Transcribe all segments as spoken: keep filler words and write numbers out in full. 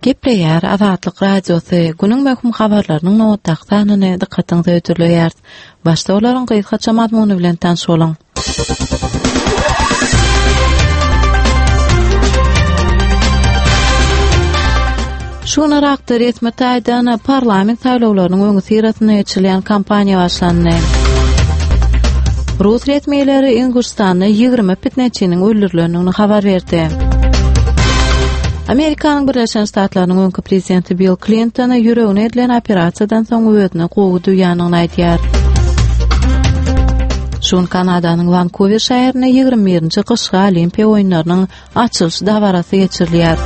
Gepleýär Azatlyk Radiosy günüň möhüm habarlarynyň nobatdaky sanyny dykgatyňyza hödürleýär. Başda olaryň gysgaça mazmuny bilen tanyş boluň. Şu gün Yrakda resmi taýdan parlament saýlawlarynyň öňüsyrasynda geçirilýän kampaniýa başlandy. Rus resmileri Inguşstanda ýigrimi pitneçiniň öldürilendigini habar berdi. Amerikanyň Birleşen Ştatlarynyň öňki prezidenti Bill Klinton ýüregine edilen operasiýadan soň özüni gowy duýandygyny aýdýar. Şu gün Kanadanyň Wankuwer şäherinde ýigrimi birinji gyşky Olimpiýa oýunlarynyň açylyş dabarasy geçirilýär.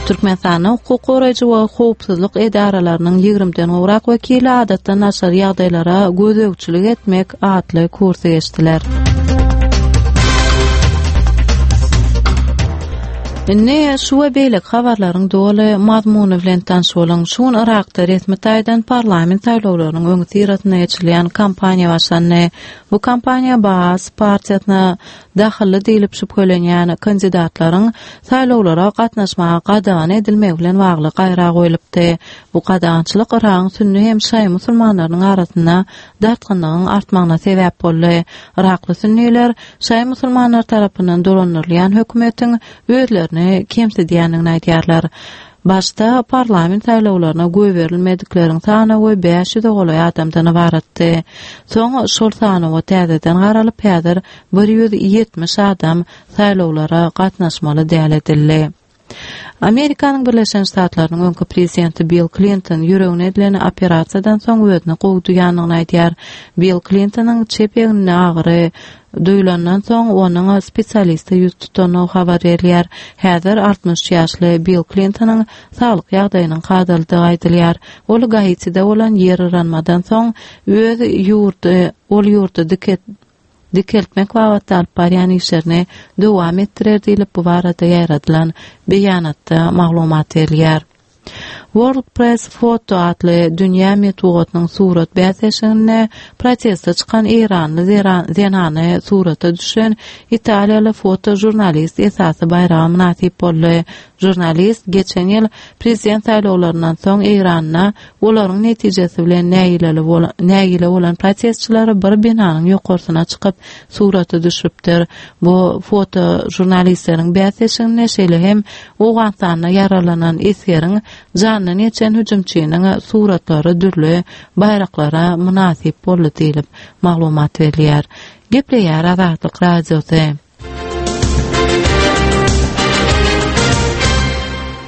Türkmenistanda hukuk goraýjy we howpsuzlyk edaralarynyň ýigrimiden gowrak wekili adatdan daşary ýagdaýlara gözegçilik etmek atly kursy geçdiler. Indi şu we beýleki habarlaryň doly mazmuny bilen tanyş boluň. Şu gün Yrakda resmi taýdan parlament saýlawlarynyň öňüsyrasynda geçirilýän kampaniýa başlandy. Bu kampaniýa Baas partiýasyna dahylly diýlip şübhelenýän kandidatlaryň saýlawlara gatnaşmaga gadagan edilmegi bilen bagly gaýra goýlupdy. Bu gadagançylyk Yragyň sünni hem şaýy musulmanlarynyň arasynda dartgynlygyň artmagyna sebäp boldy. Yrakly sünniler şaýy musulmanlar tarapyndan dolandyrylýan hökümetiň özlerini kemsidýändigini aýdýarlar. Başda parlament saýlawlaryna goýberilmedikleriň sanawy bäş ýüze golaý adamdan ybaratdy. Soň şol sanawa täzeden garalyp, häzir bir ýüz ýetmiş adam saýlawlara gatnaşmaly däl edildi. Amerikanyň Birleşen Ştatlarynyň öňki prezidenti Bill Klinton ýüregine edilen operasiýadan soň özüni gowy duýandygyny aýdýar. Bill Klintonyň çep egninde agyry duýulandan soň onuň spesialiste ýüz tutandygy habar berilýär. Häzir altmyş üç ýaşly Bill Klintonyň saglyk ýagdaýynyň kadalydygy aýdylýar. Ol Gaitide bolan ýer yranmadan soň öz ýurdy, ol ýurdy diket-, dikeltmek babatda alyp barýan işlerini dowam etdirer diýlip bu barada ýaýradylan beýanatda maglumat berilýär. World Press Photo atly dünýä metbugatynyň surat bäsleşiginde proteste çykan eýranly zera-, zenany surata düşen italiýaly fotožurnalist esasy baýraga mynasyp boldy. Žurnalist geçen ýyl prezident saýlawlaryndan soň Eýranda olaryň netijesi bilen nägileli bola-, nägile bolan protestçileri bir binanyň ýokarsyna çykyp surata düşüpdir. Bu fotožurnalistleriň bäsleşiginde şeýle hem Owganystanda ýaralanan esgeriň jandan geçen hüjümçiniň suratlary dürli baýraklara mynasyp boldy diýlip maglumat berilýär. Gepleýär Azatlyk Radiosy.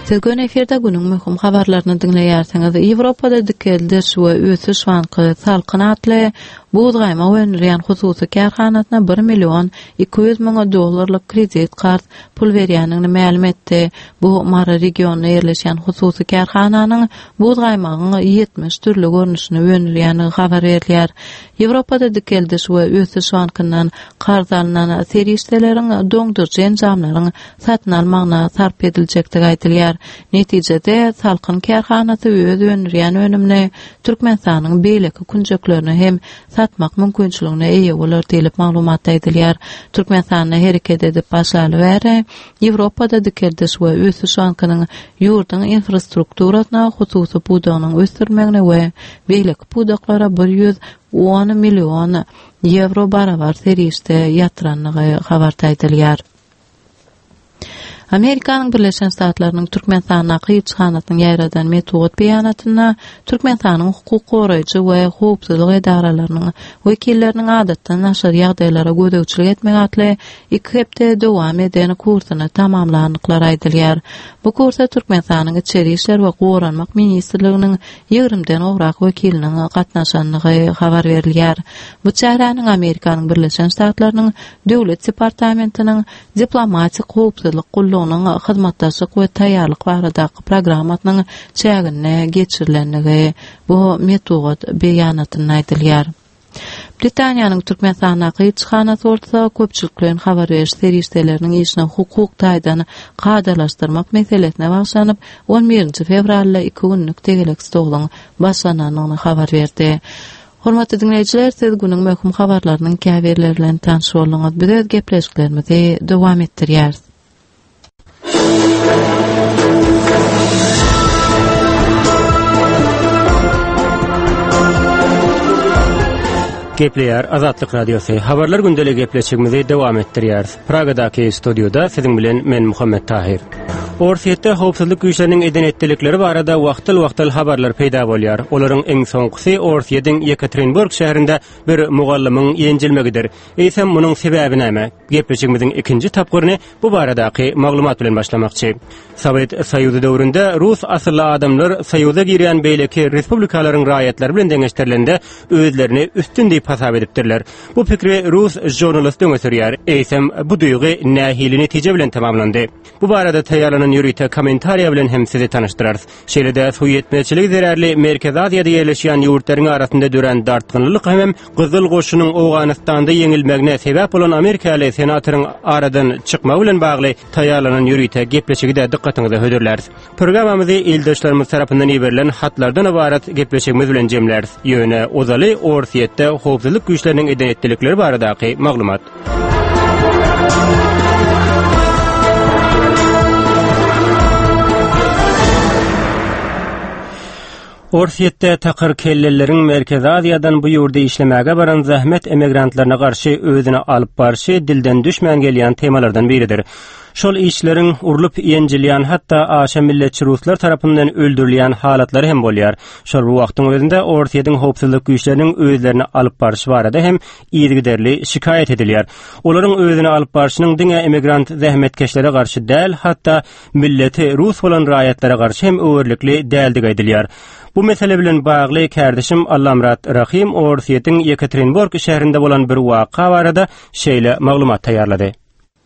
Siz gün efirde günüň möhüm habarlaryny diňleýärsiňiz. Ýewropada dikeldiş we ösüş banky Salkyn atly buz gaýmak öndürýän hususy kärhanasyna bir million iki ýüz müň dollarlyk kredit karz pul berýändigini mälim etdi. Bu Mary regionynda ýerleşýän hususy kärhananyň buz gaýmagyň ýetmiş dürli görnüşini öndürýändigi habar berilýär. Ýewropada dikeldiş we ösüş bankyndan karz alnan serişdeleriň doňduryjy enjamlaryň satyn almagyna sarp ediljekdigi aýdylýar. Netijede Salkyn kärhanasy öz öndürýän önümini Türkmenistanyň beýleki künjeklerine hem satmak mümkinçiligine eýe bolar diýlip maglumatda aýdylýar. Türkmenistanda hereket edip başlaly bäri Ýewropada dikeldiş we ösüş bankynyň ýurduň infrastrukturasyna, hususy pudagynyň ösdürilmegine we beýleki pudaklara bir ýüz on million ýewro barabar serişde ýatyrandygy habarda aýdylýar. Amerikanyň Birleşen Ştatlarynyň Türkmenistandaky ilçihanasynyň ýaýradan metbugat beýanatynda Türkmenistanyň hukuk goraýjy we howpsuzlyk edaralarynyň wekilleriniň adatdan daşary ýagdaýlara gözegçilik etmek atly iki hepde dowam eden kursuny tamamlandyklary aýdylýar. Bu kursa Türkmenistanyň Içeri işler we Goranmak ministrliginiň ýigrimiden gowrak wekiliniň gatnaşandygy habar berilýär. Bu çäräniň Amerikanyň Birleşen Ştatlarynyň Döwlet departamentiniň diplomatik howpsuzlyk gullugynyň hyzmatdaşlyk we taýýarlyk baradaky programmasynyň çäginde geçirilendigi bu metbugat beýanatynda aýdylýar. Britaniýanyň Türkmenistandaky ilçihanasy bolsa köpçülikleýin habar beriş serişdeleriniň işini hukuk taýdan kadalaşdyrmak meselesine bagyşlanyp on birinji fewralda iki günlük tegelek stoluň başlanandygyny habar berdi. Hormatly dinleýjiler, siz günüň möhüm habarlarynyň käbirleri bilen tanyş bolduňyz. Biz öz gepleşiklerimizi dowam etdirýäris. Gepleýär Azatlyk Radiosy. Habarlar gündeligi gepleşigimizi dowam etdirýäris. Pragadaky studioda siziň bilen men Muhammet Tahir. Orsýetde howpsuzlyk güýçleriniň eden etdilikleri barada wagtal-wagtal habarlar peýda bolýar. Olaryň iň soňkusy Orsýetiň Ýekaterinburg şäherinde bir mugallymyň ýenjilmegidir. Eýsem munuň sebäbi näme? Gepleşigimiziň ikinji tapgyryny bu baradaky maglumat bilen başlamakçy. Sowet Soýuzy döwründe rus asylly adamlar Soýuza girýän beýleki respublikalaryň raýatlary bilen deňeşdirilende özlerini üstün diýip hasap edipdirler. Bu pikri rus žurnalisti öňe sürýär. Eýsem bu duýgy nähili netije bilen tamamlandy? Bu barada taýýarlanan ýörite kommentariýa bilen hem sizi tanyşdyrarys. Şeýle-de suw ýetmezçiligi zerarly Merkezi Aziýada ýerleşýän ýurtlaryň arasynda dörän dartgynlylyk hem Gyzyl goşunyň Owganystanda ýeňilmegine sebäp bolan Amerikaly senatoryň aradan çykmagy bilen bagly taýýarlanan ýörite gepleşigi-de dykgatyňyza hödürläris. Programmamyzy ildeşlerimiz tarapyndan iberilen hatlardan ybarat gepleşigimiz bilen jemläris. Ýöne ozaly Orsýetde howpsuzlyk güýçleriniň eden etdilikleri baradaky maglumat. Orsýetde takyr kelleleriň Merkezi Aziýadan bu ýurda işlemäge baran zähmet emigrantlaryna garşy özüni alyp barşy dilden düşmän gelýän temalardan biridir. Şol işleriň urlup ýenjilýän hatda aşa milletçi ruslar tarapyndan öldürilýän halatlary hem bolýar. Şol bir wagtyň özünde Orsýetiň howpsuzlyk güýçleriniň özlerini alyp barşy barada hem yzygiderli şikaýat edilýär. Olaryň özüni alyp barşynyň diňe emigrant zähmetkeşlere garşy däl, hatda milleti rus bolan raýatlara garşy hem öwerlikli däldigi aýdylýar. Bu mesele bilen bagly kärdeşim Allamrat Rahim Orsýetiň Ýekaterinburg şäherinde bolan bir waka barada şeýle maglumat taýýarlady.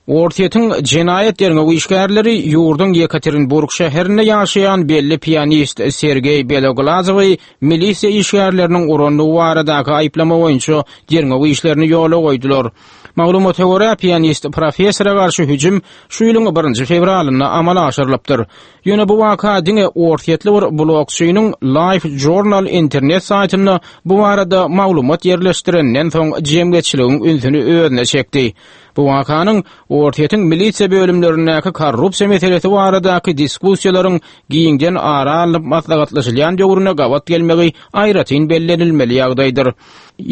Orsýetiň jenaýat derňew işgärleri ýurduň Ýekaterinburg şäherinde ýaşaýan belli pianist Sergeý Beloglazowy milisiýa işgärleriniň urandygy baradaky aýyplama boýunça derňew işlerini ýola goýdular. Maglumata görä, pianist professora garşy hüjüm şu ýylyň birinji fewralynda amala aşyrylypdyr. Ýöne bu waka diňe Orsýetli bir blogçynyň Life Journal internet saýtynda bu barada maglumat ýerleşdirenden soň jemgyýetçiligiň ünsüni özüne çekdi. Bu wakanyň Orsýetiň milisiýa bölümlerindäki korrupsiýa meselesi baradaky diskussiýalaryň giňden ara alnyp maslahatlaşylýan döwrüne gabat gelmegi aýratyn bellenilmeli ýagdaýdyr.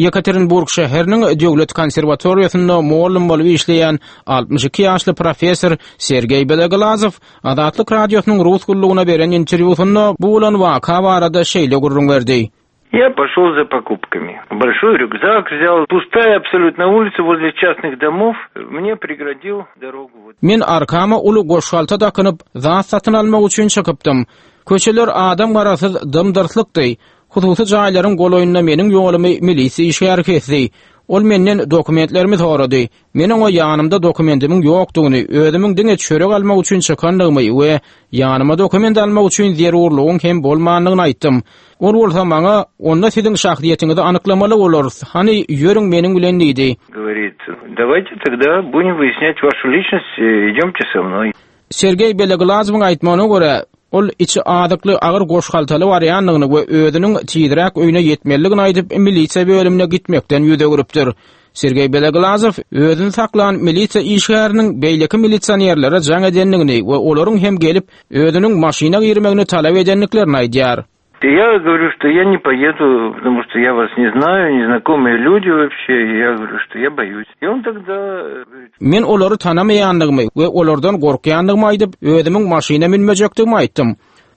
Ýekaterinburg şäheriniň döwlet konserwatoriýasynda mugallym bolup işleýän altmyş iki ýaşly professor Sergeý Beloglazow Azatlyk Radiosynyň rus gullugyna beren interwýusynda bu bolan waka barada şeýle gürrüň berdi. Я пошел за покупками. Большой рюкзак взял. Пустая абсолютно улица возле частных домов. Мне преградил дорогу. Men arkama uly goşgalta dakynyp, zat satyn almak üçin çykypdym. Köçeler adam garasyz dymdyrslykdy. Hususy jaýlaryň golaýynda meniň ýolumy milisiýa işgäri kesdi. Ol menden dokumentlerimi sorady. Men oňa ýanymda dokumentimiň ýokdugyny, özümiň diňe çörek almak üçin çykandygymy we ýanyma dokument almak üçin zerurlygyň hem bolmandygyny aýtdym. Ol bolsa maňa, onda siziň şahsyýetiňizi anyklamaly bolarys. Hany ýörüň meniň bilen diýdi. Говорит, давайте тогда будем выяснять вашу личность, идемте со мной. Sergeý Beloglazowyň aýtmagyna görä, ol içi azykly agyr goşgaltaly barýandygyny we özüniň tizräk öýüne ýetmelidigini aýdyp, milisiýa bölümine gitmekden ýüz öwrüpdir. Sergeý Beloglazow özüni saklan milisiýa işgäriniň beýleki milisionerlere jaň edendigini we olaryň hem gelip özüniň maşyna girmegini talap edendiklerini aýdýar. Я говорю, что я не поеду, потому что я вас не знаю, незнакомые люди вообще, и я говорю, что я боюсь. И он тогда говорит, Men olary tanamaýandygymy we olardan gorkýandygymy aýdyp, özümiň maşyna münmejekdigimi aýtdym.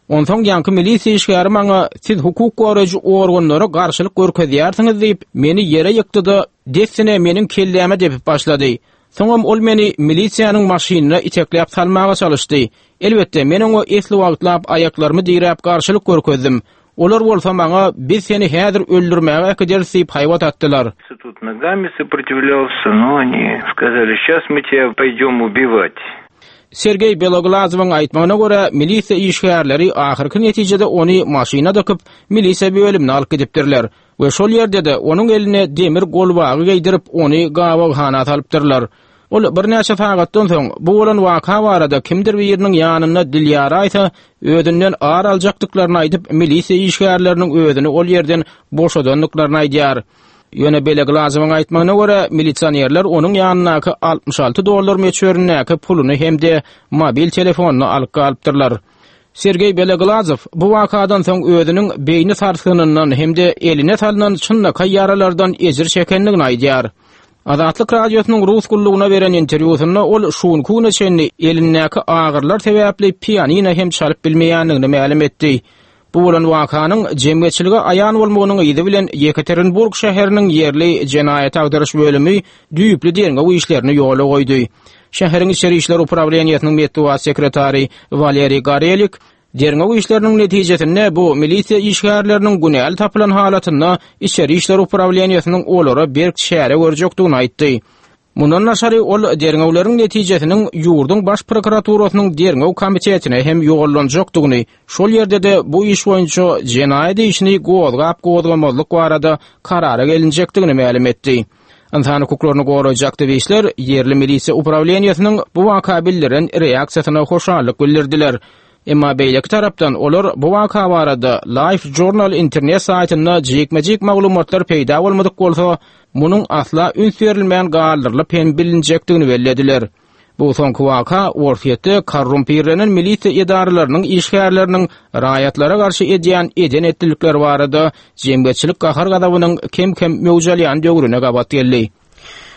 Onsoň ýaňky milisiýa işgäri maňa siz hukuk goraýjy organlara garşylyk görkezýärsiňiz diýip, meni ýere ýykdy-da, dessine meniň kelläme depip başlady. Soňam ol meni milisiýanyň maşynyna itekläp salmaga çalyşdy. Elbetde, men oňa esli wagtlap aýaklarymy diräp garşylyk görkezdim. Olar bolsa maňa biz seni häzir öldürmäge äkideris diýip haýbat atdylar. Тут ногами сопротивлялся, но они сказали, сейчас мы тебя пойдем убивать. Sergeý Beloglazowyň aýtmagyna görä, milisiýa işgärleri ahyrky netijede ony maşyna dykyp, milisiýa bölümine alyp gidipdirler we şol ýerde-de onuň eline demir golbagy geýdirip, ony gabaghana salypdyrlar. Ol birnäçe sagatdan soň bu bolan waka barada kimdir biriniň ýanynda dil ýaraýsa, özünden ar aljakdyklaryny aýdyp, milisiýa işgärleriniň özüni ol ýerden boşadandyklaryny aýdýar. Ýöne Beloglazowyň aýtmagyna görä, milisionerler onuň ýanyndaky altmyş alty dollar möçberindäki puluny hem-de mobil telefonyny alyp galypdyrlar. Sergeý Beloglazow bu wakadan soň özüniň beýni sarsgynyndan hem-de eline salynan çynlakaý ýaralardan ejir çekendigini aýdýar. Azatlyk Radiosynyň rus gullugyna beren interwýusynda ol şu günki güne çenli elindäki agyrlar sebäpli pianino hem çalyp bilmeýändigini mälim etdi. Bu bolan wakanyň jemgyýetçilige aýan bolmagynyň yzy bilen Ýekaterinburg şäheriniň ýerli jenaýat agdaryş bölümi düýpli derňew işlerini ýola goýdy. Şäheriň içeri işler uprawleniýesiniň metbugat sekretary Waleriý Gorelik derňew işleriniň netijesinde bu milisiýa işgärleriniň günäli tapylan halatynda içeri işler uprawleniýesiniň olara berk çäre görjekdigini aýtdy. Mundan daşary ol derňewleriň netijesiniň ýurduň baş prokuraturasynyň derňew komitetine hem ýollanjakdygyny, şol ýerde-de bu iş boýunça jenaýat işini gozgap-gozgamazlyk barada karara gelinjekdigini mälim etdi. Ynsan hukuklaryny goraýjy aktiwistler ýerli milisiýa uprawleniýesiniň bu waka bildiren reaksiýasyna hoşallyk bildirdiler. Emma beýleki tarapdan olar bu waka barada Life Journal internet saýtynda jikme-jik maglumatlar peýda bolmadyk bolsa, munuň asla üns berilmän galdyrylyp hem bilinjekdigini bellediler. Bu soňky waka Orsýetde korrumpirlenen milisiýa edaralarynyň işgärleriniň raýatlara garşy edýän eden etdilikleri barada jemgyýetçilik gahar-gazabynyň kem-kem möwjalýan döwrüne gabat geldi.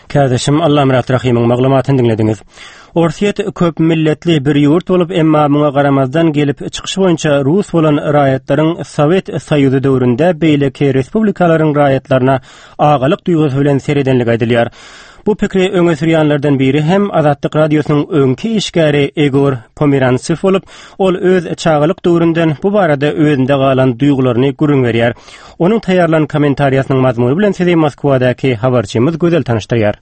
Kärdeşim Allamyrat Rahymyň maglumatyny diňlediňiz. Orsýet köp milletli bir ýurt bolup, emma muňa garamazdan gelip çykyşy boýunça rus bolan raýatlaryň Sowet Soýuzy döwründe beýleki respublikalaryň raýatlaryna agalyk duýgusy bilen seredenligi aýdylýar. Bu pikri öňe sürýänlerden biri hem Azatlyk Radiosynyň öňki işgäri Igor Pomerantsew bolup, ol öz çagalyk döwründen bu barada özünde galan duýgularyny gürrüň berýär. Onuň taýýarlan kommentariýasynyň mazmuny bilen sizi Moskwadaky habarçymyz Gözel tanyşdyrýar.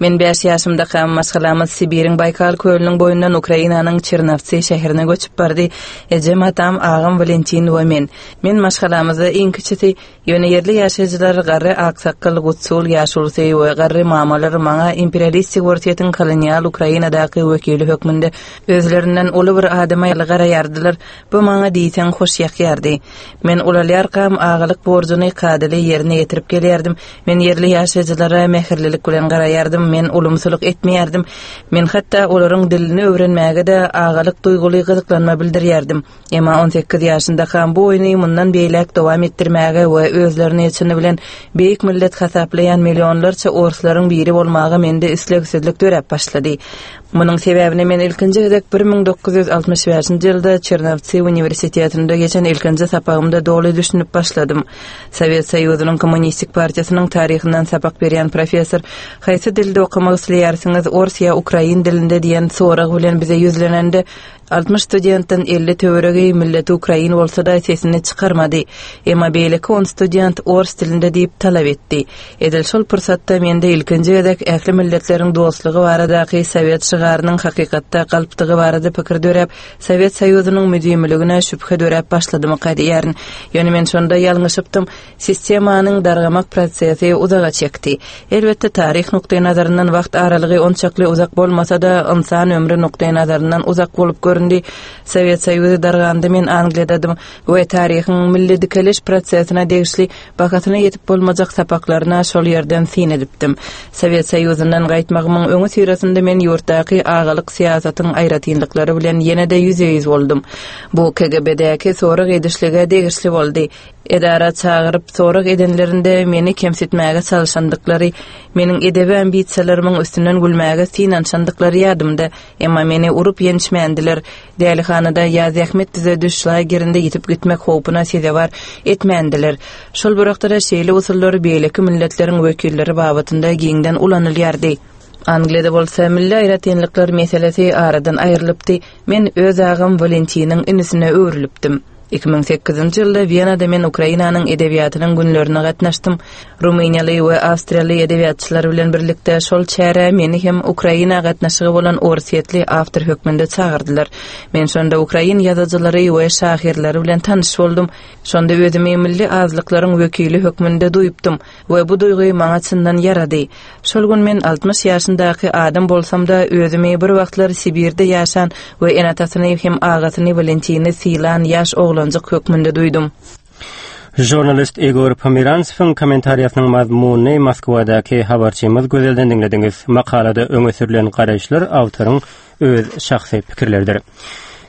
Men bäş ýaşymdakam maşgalamyz Sibiriň Baýkal kölüniň boýundan Ukrainanyň Çernowtsi şäherine göçüp bardy. Ejem, atam, agam Walentin we men. Men maşgalamyzda iň kiçisi, ýöne ýerli ýaşaýjylar garry aksakgal Gutsul ýaşulusy we garry mamalar maňa imperialistik Orsýetiň kolonial Ukrainadaky wekili hökmünde özlerinden uly bir adama garaýardylar. Bu maňa diýseň hoş ýakýardy. Men ulalýarkam agalyk borjuny kadaly ýerine ýetirip gelýärdim. Men ýerli ýaşaýjylara mähirlilik bilen garaýardym. Men ulumsylyk etmeýärdim. Men hatda olaryň dilini öwrenmäge-de agalyk duýguly gyzyklanma bildirýärdim. Emma on sekiz ýaşyndakam bu oýny mundan beýläk dowam etdirmäge we özlerini çyny bilen beýik millet hasaplaýan millionlarça orslaryň biri bolmaga mende islegsizlik döräp başlady. Munuň sebäbini men ilkinji gezek bir müň dokuz ýüz altmyş bäşinji ýylda Çernowtsi uniwersitetinde geçen ilkinji sapagymda doly düşünip başladym. Sowet Soýuzynyň Kommunistik partiýasynyň taryhyndan sapak berýän professor haýsy dilde okamak isleýärsiňiz, ors ýa ukrain dilinde diýen sorag bilen bize ýüzlenende altmyş studentden elli töweregi milleti ukrain bolsa-da sesini çykarmady. Emma beýleki on student ors dilinde diýip talap etdi. Edil şol pursatda mende ilkinji gezek ähli milletleriň dostlugy baradaky Sowet şygarynyň hakykatda galpdygy barada pikir döräp, Sowet Soýuzynyň müdimiligine şübhe döräp başladymyka diýýärin. Ýöne men şonda ýalňyşypdym. Sistemanyň dargamak prosesi uzaga çekdi. Elbetde taryh nukdaý nazaryndan wagt aralygy onçakly uzak bolmasa-da, ynsan ömri nukdaý nazaryndan uzak bolup göründi. Sowet Soýuzy darganda men Angliýadadym we taryhyň milli dikeliş prosesine degişli bahasyna ýetip bolmajak sapaklaryna şol ýerden syn edipdim. Sowet Soýuzyndan gaýtmagymyň öňi syrasynda men ýurtdaky agalyk syýasatyň aýratynlyklary bilen ýene-de ýüzbe-ýüz boldum. Bu K G B-däki sorag edişlige degişli boldy. Edara çagyryp sorag edenlerinde meni kemsitmäge çalışandyklary, meniň edebi ambisiýalarymyň üstünden gülmäge synanyşandyklary ýadymda, emma meni urup ýençmändiler. Dälihanada ýa zähmet düzediş lagerinde ýitip gitmek howpuna sezewar etmändiler. Şol bir wagtda şeýle usullar beýleki milletleriň wekilleri babatynda giňden ulanylýardy. Angliýada bolsa milli aýratynlyklar meselesi aradan aýrylypdy. Men öz agam Valentiniň inisine öwrülipdim. Iki müň sekizinji ýylda Wenada men Ukrainanyň edebiýatynyň günlerine gatnaşdym. Rumyniýaly we Awstriýaly edebiýatçylar bilen birlikde şol çärä meni hem Ukraina gatnaşygy bolan orsýetli awtor hökmünde çagyrdylar. Men şonda ukrain ýazyjylary we şahyrlary bilen tanyş boldum. Şonda özümi milli azlyklaryň wekili hökmünde duýupdym we bu duýgy maňa çyndan ýarady. Şol gün men altmyş ýaşyndaky adam bolsam-da özümi bir wagtlar Sibirde ýaşan we enatasyny hem agasyny Valentini sylan ýaş oglanjyk hökmünde duýdum. Žurnalist Igor Pomerantsewiň kommentariýasynyň mazmunyny Moskwadaky habarçymyz Gözelden diňlediňiz. Makalada öňe sürülen garaýyşlar awtoryň öz şahsy pikirleridir.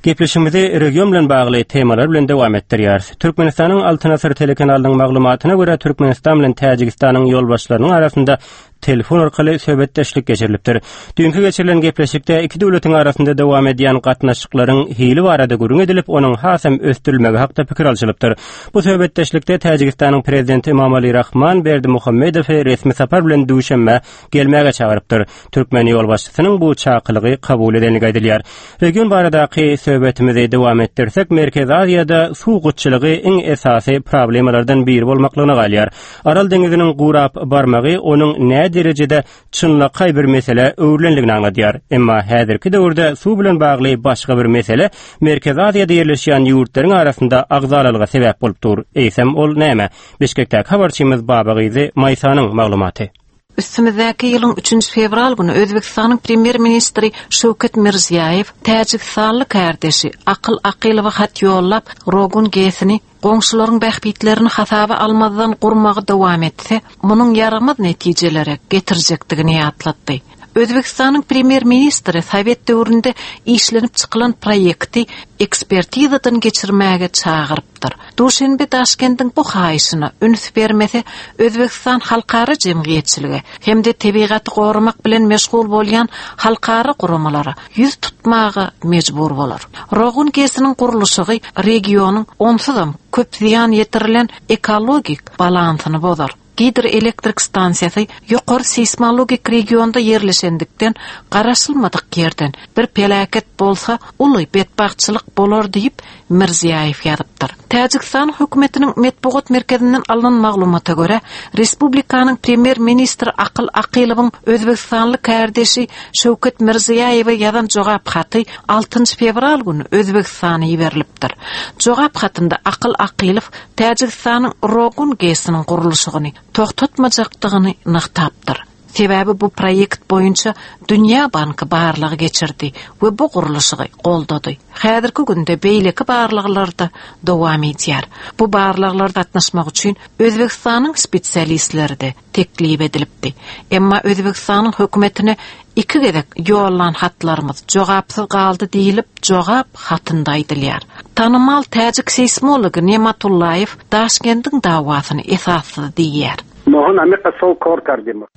Gepleşigimizi region bilen bagly temalar bilen dowam etdirýäris. Türkmenistanyň Altyn Asyr telekanalynyň maglumatyna görä Türkmenistan bilen Täjigistanyň ýolbaşçylarynyň arasynda telefon arkaly söhbetdeşlik geçirilipdir. Düýnki geçirilen gepleşikde iki döwletiň arasynda dowam edýän gatnaşyklaryň hili barada gürrüň edilip, onuň hasam ösdürilmegi hakda pikir alşylypdyr. Bu söhbetdeşlikde Täjigistanyň prezidenti Emomali Rahman Berdimuhamedowy resmi sapar bilen Duşenbä gelmäge çagyrypdyr. Türkmen ýolbaşçysynyň bu çakylygy kabul edenligi aýdylýar. Region baradaky söhbetimizi dowam etdirsek, Merkezi Aziýada suw gytçylygy iň esasy problemalardan biri bolmaklygyna galýar. Aral deňiziniň gurap barmagy onuň nä derejede çynlakaý bir mesele öwrülenligini aňladýar. Emma häzirki döwürde suw bilen bagly başga bir mesele Merkezi Aziýada ýerleşýän ýurtlaryň arasynda agzalalyga sebäp bolup dur. Eýsem ol näme? Bişkekdäki habarçymyz Babagyzy Maýsanyň maglumaty. Üstümizdäki ýylyň üçünji fewral güni Özbekistanyň premýer-ministri Şöwket Mirziýaýew Täjigistanly kardeşi Akyl Akylowa hat ýollap, Rogun GES-ini goňşularyň bähbitlerini hasaba almazdan gurmagy dowam etse, munuň ýaramaz netijelere getirjekdigini ýatlatdy. Özbekistanyň premýer-ministri Sowet döwründe işlenip çykylan proýekti ekspertizadan geçirmäge çagyrypdyr. Duşenbe Daşkendiň bu haýyşyna üns bermese, Özbekistan halkara jemgyýetçiligi hem-de tebigaty goramak bilen meşgul bolýan halkara guramalara ýüz tutmaga mejbur bolar. Rogun GES-iniň gurluşygy regionyň onsuzam köp zyýan ýetirilen ekologik balansyny bozar. Gidroelektrik stansiýasy ýokary seismologik regionda ýerleşendikden garaşylmadyk ýerden bir peläket bolsa uly betbagtçylyk bolar diýip Mirziýaýew ýazypdyr. Täjigistan hökümetiniň metbugat merkezinden alnan maglumata görä, Respublikanyň premýer-ministri Akyl Akylowyň Özbekistanly kardeşi Şöwket Mirziýaýewe ýazan jogap haty altynjy fewral güni Özbekistana iberilipdir. Jogap hatynda Akyl Akylow Täjigistanyň Rogun GES-iniň gurluşygyny toxtatmajakdygyny nygtapdyr. Sebäbi bu proýekt boýunça Dünýä Banky barlagy geçirdi we bu gurluşygy goldady. Häzirki günde beýleki barlaglarda dowam edýär. Bu barlaglarda gatnaşmak üçin Özbekistanyň spesialistleri de teklip edilipdi. Emma Özbekistanyň hökümetine iki gezek ýollan hatlarymyz jogapsyz galdy diýilip, jogap hatynda aýdylýar. Tanymal täjik seismology Nematullaýew Daşkendiň dawasyny esassyz diýýär.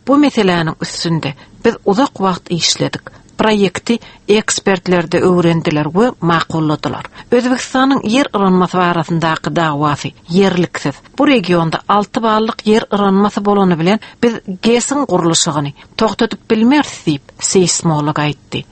Bu meseläniň üstünde biz uzak wagt işledik. Proýekti ekspertler de öwrendiler we makulladylar. Özbekistanyň ýer yranmasy barasyndaky dawasy ýerliksiz. Bu regionda alty ballyk ýer yranmasy bolany bilen biz GES-iň gurluşygyny toxtadyp bilmeris diýip seismolog aýtdy.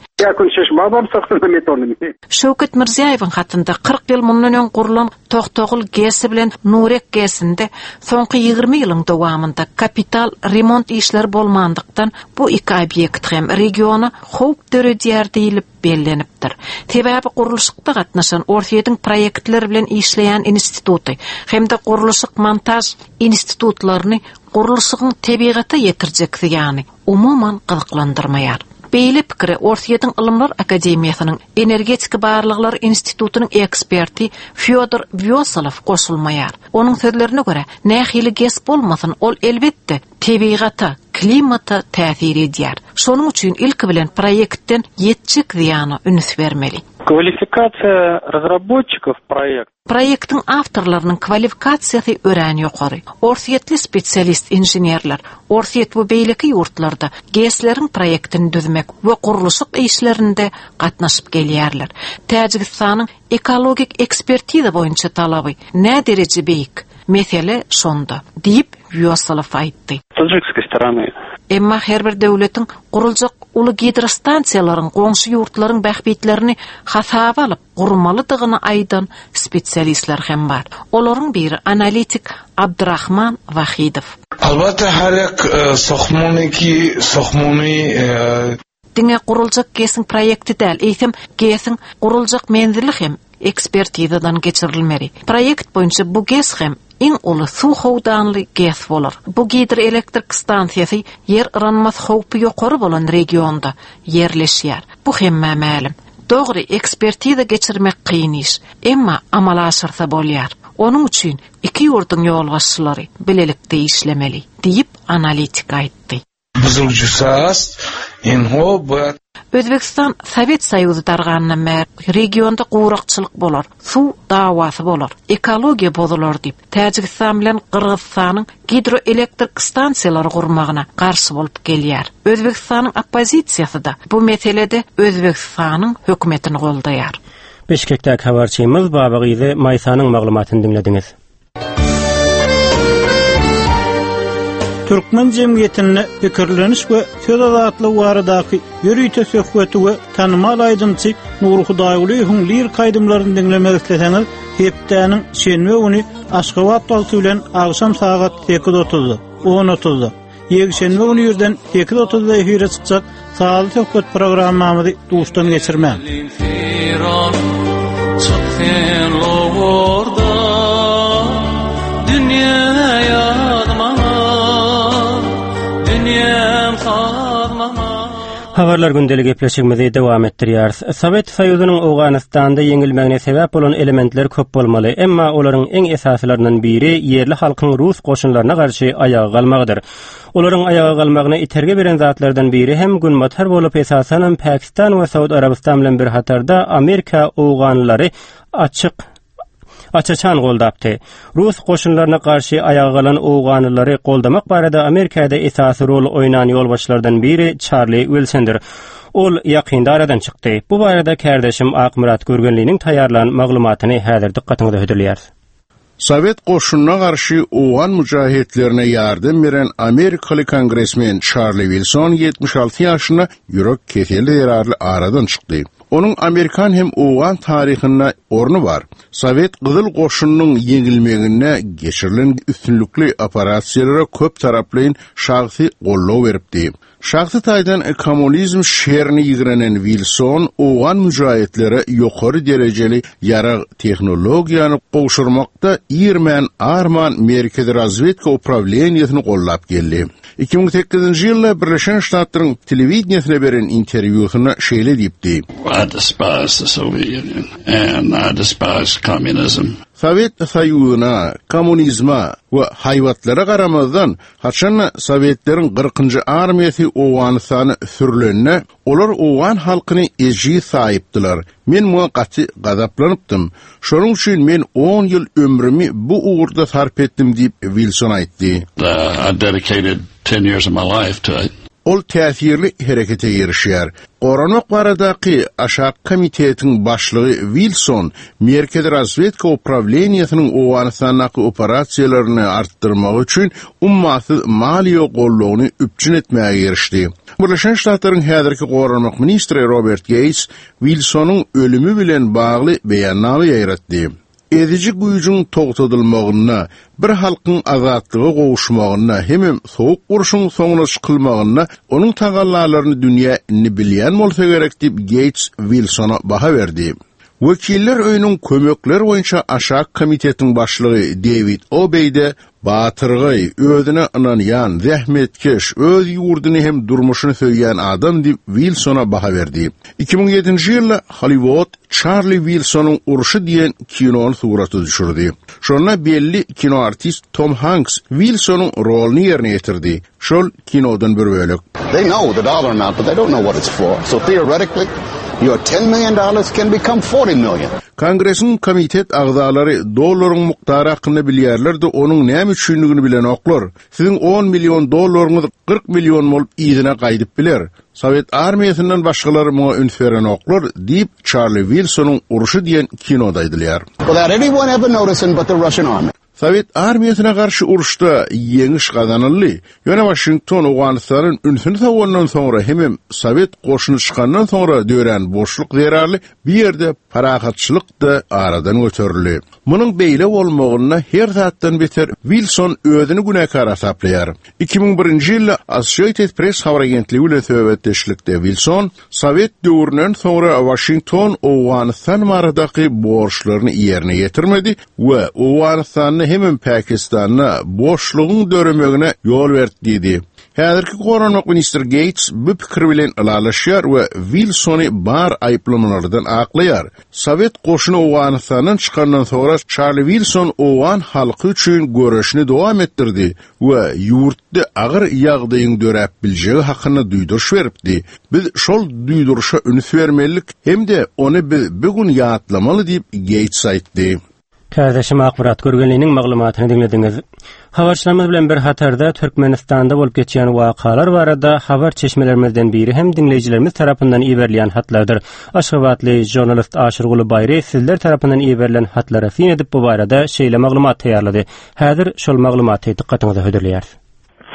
Şöwket Mirziýaýewiň hatynda kyrk ýyl mundan öň gurlan Toxtogul GES bilen Nurek GES-inde soňky ýigrimi ýylyň dowamynda kapital remont işleri bolmandykdan bu iki obýekt hem regiona howp döredýär diýilip bellenipdir. Sebäbi gurluşykda gatnaşan Orsýetiň proýektler bilen işleýän instituty hem-de gurluşyk montaj institutlaryny gurluşygyň tebigata ýetirjek zyýany umuman gyzyklandyrmaýar. Beýle pikiri Orsýetiň Ylymlar Akademiýasynyň Energetika Barlaglar Institutynyň eksperti Fyodor Wýosalow goşulmaýar. Onuň sözlerine görä, nähili GES bolmasyn, ol elbetde tebigata, klimata täsir edýär. Şonuň üçin ilki bilen proýektden ýetjek zyýana üns bermeli. Kwalifikasiýa разработчиков проект. Proýektiň awtorlarynyň kwalifikasiýasy örän ýokary. Orsýetli spesialist inženerler Orsýet we beýleki ýurtlarda GES-leriň proýektini düzmek we gurluşyk işlerinde gatnaşyp gelýärler. Täjigistanyň ekologik ekspertiza boýunça talaby nä dereje beýik? Mesele şonda diýip Wýosalow aýtdy. Таджикской стороны. Emma her bir döwletiň guruljak uly gidrostansiýalaryň goňşy ýurtlaryň bähbitlerini hasaba alyp gurmalydygyny aýdan spesialistler hem bar. Olaryň biri analitik Abdurrahman Wahidow. Albatta har як сохмоне ki сохмони Diňe guruljak GES-iň proýekti däl, eýsem GES-iň guruljak menzili hem ekspertizadan geçirilmeli. Proýekt boýunça bu GES hem iň uly suw howdanly GES bolar. Bu gidroelektrik stansiýasy ýer yranmaz howpy ýokary bolan regionda ýerleşýär. Bu hemme mälim. Dogry ekspertiza geçirmek kyn iş, emma amala aşyrsa bolýar. Onuň üçin iki ýurduň ýolbaşçylary bilelikde işlemeli diýip analitik aýtdy. Özbekistan Sowet Soýuzy dargandan bäri regionda gurakçylyk bolar, suw dawasy bolar, ekologiýa bozular diýip, Täjigistan bilen Gyrgyzystanyň gidroelektrik stansiýalary gurmagyna garşy bolup gelýär. Özbekistanyň oppozisiýasy da bu meselede Özbekistanyň hökümetini goldaýar. Bişkekdäki habarçymyz Babagyzy Maýsanyň maglumatyny diňlediňiz. Türkmen jemgyýetinde pikirleniş we söz azatlygy baradaky ýörite söhbeti we tanymal aýdymçy Nuri Hudaýgulyýewiň lirik aýdymlaryny diňlemek isleseňiz, hepdäniň şenbe güni Aşgabat wagty bilen agşam sagat sekiz otuzda, on otuzda, ýekşenbe güni irden sekiz otuzda efire çykjak Sazly söhbet programmamyzy duşdan geçirmäň. Çık sen lowurda, dünýä ýazmana, dünýäm sazmana. Habarlar gündelik gepleşigimizi dowam etdirýäris. Sowet Soýuzynyň Owganystanda ýeňilmegine sebäp bolan elementler köp bolmaly, emma olaryň iň esasylaryndan biri ýerli halkyň rus goşunlaryna garşy aýaga galmagydyr. Olaryň aýaga galmagyna itergi beren zatlardan biri hem günbatar bolup esasanam Pakistan we Saud Arabystan bilen bir hatarda Amerika Owganlylary açyk açaçan goldapdy. Rus goşunlaryna garşy aýaga galan Owganlylary goldamak barada Amerikada esasy rol oýnan ýolbaşçylardan biri Charlie Wilsondyr. Ol ýakynda aradan çykdy. Bu barada kardeşim Akmyrat Gürgenliniň taýýarlan maglumatyny häzir dykgatyňyza hödürleýäris. Sowet goşunyna garşy Owgan müjahitlerine ýardam beren Amerikaly kongresmen Charlie Wilson ýetmiş alty ýaşynda ýürek keseli zerarly aradan çykdy. Onuň Amerikan hem Owgan taryhynda orny bar. Sowet Gyzyl goşunynyň ýeňilmeginde geçirilen üstünlikli operasiýalara köp taraplaýyn şahsy goldaw beripdi. Şahsy taýdan kommunizm şerini ýigrenen Wilson Owgan müjahitlere ýokary derejeli ýarag tehnologiýany gowşurmakda irmän arman Merkezi razwedka uprawleniýesini gollap geldi. Iki müň sekizinji ýylda Birleşen Ştatlaryň telewideniýesine beren interwýusynda şeýle diýipdi. I despise the Soviet Union and I despise communism. Sowet Soýuzyna, kommunizme we haýbatlara garamazdan, haçan Sowetleriň kyrkynjy armiýasy Owganystana sürülende, olar Owgan halkyny ejiz saýypdylar. Men muňa gaty gazaplanypdym. Şonuň üçin men on ýyl ömrümi bu ugurda sarp etdim diýip Wilson aýtdy. Uh, I dedicated ten years of my life to it. Ol täsirli herekete girişýär. Goranmak baradaky aşak komitetiň başlygy Wilson Merkezi razwedka uprawleniýesiniň Owganystandaky operasiýalaryny artdyrmak üçin ummasyz maliýe goldawyny üpjün etmäge girişdi. Birleşen Ştatlaryň häzirki goranmak ministri Robert Gates Wilsonyň ölümi bilen bagly beýannama ýaýratdy. Eziji güýjüň togtadylmagyna, bir halkyň azatlyga gowuşmagyna, hemem soğuk urşuň soňuna çykylmagyna onuň tagallalaryny dünýä indi bilýän bolsa gerek diýip Gates Wilsona baha berdi. Wekiller öýüniň kömekler boýunça aşak komitetiň başlygy David Obeýde batyrgaý, özüne ynanýan, zähmetkeş, öz ýurduny hem durmuşyny söýýän adam diýip Wilsona baha berdi. Iki müň ýedinji ýylda Hollywood Charlie Wilsonyň urşy diýen kinony surata düşürdi. Şonda belli kino artist Tom Hanks Wilsonyň roluny ýerine ýetirdi. Şol kinodan bir bölek. They know the dollar amount, but they don't know what it's for. So theoretically, your ten million dollars can become forty million. Kongresiň komitet agzalary dollaryň mukdary hakkynda bilýärler-de onuň näme üçinligini bilenoklar. Siziň on million dollaryňyz kyrk million bolup yzyna gaýdyp biler. Sowet armiýasyndan başgalary muňa üns berenoklar diýip Charlie Wilsonyň urşy diýen kinoda aýdylýar. Without anyone ever noticing but the Russian army. Sowet armiýasyna garşy uruşda ýeňiş gazanyldy. Ýöne Washington Owganystanyň ünsüni sawandan soňra hemem Sowet goşuny çykandan soňra dörän boşluk zerarly bir ýerde parahatçylyk da aradan göterildi. Munuň beýle bolmagyna her zatdan beter Wilson özüni günäkär hasaplaýar. Iki müň birinji ýylda Associated Press habar agentligi bilen söhbetdeşlikde Wilson Sowet döwründen soňra Washington Owganystan baradaky borçlaryny ýerine ýetirmedi we Owganystanda hemem Pakistanda boşlugyň döremegine ýol berdi diýdi. Häzirki goranmak ministri Gates bu pikir bilen ylalaşýar we Wilsony bar aýyplamalardan aklaýar. Sowet goşuny Owganystandan çykandan soňra Charlie Wilson Owgan halky üçin göreşini dowam etdirdi we ýurtda agyr ýagdaýyň döräp biljegi hakynda duýduryş beripdi. Biz şol duýduryşa üns bermelidik hem-de ony biz bugün ýatlamaly diýip Gates aýtdy. Kärdeşim Akmyrat Görgenliniň maglumatyny diňlediňiz. Habarçylarymyz bilen bir hatarda Türkmenistanda bolup geçýän wakalar barada habar çeşmelerimizden biri hem diňleýjilerimiz tarapyndan iberilýän hatlardyr. Aşgabatly žurnalist Aşyrguly Baýry sizler tarapyndan iberilen hatlara syn edip bu barada şeýle maglumat taýýarlady. Häzir şol maglumaty dykgatyňyza hödürleýäris.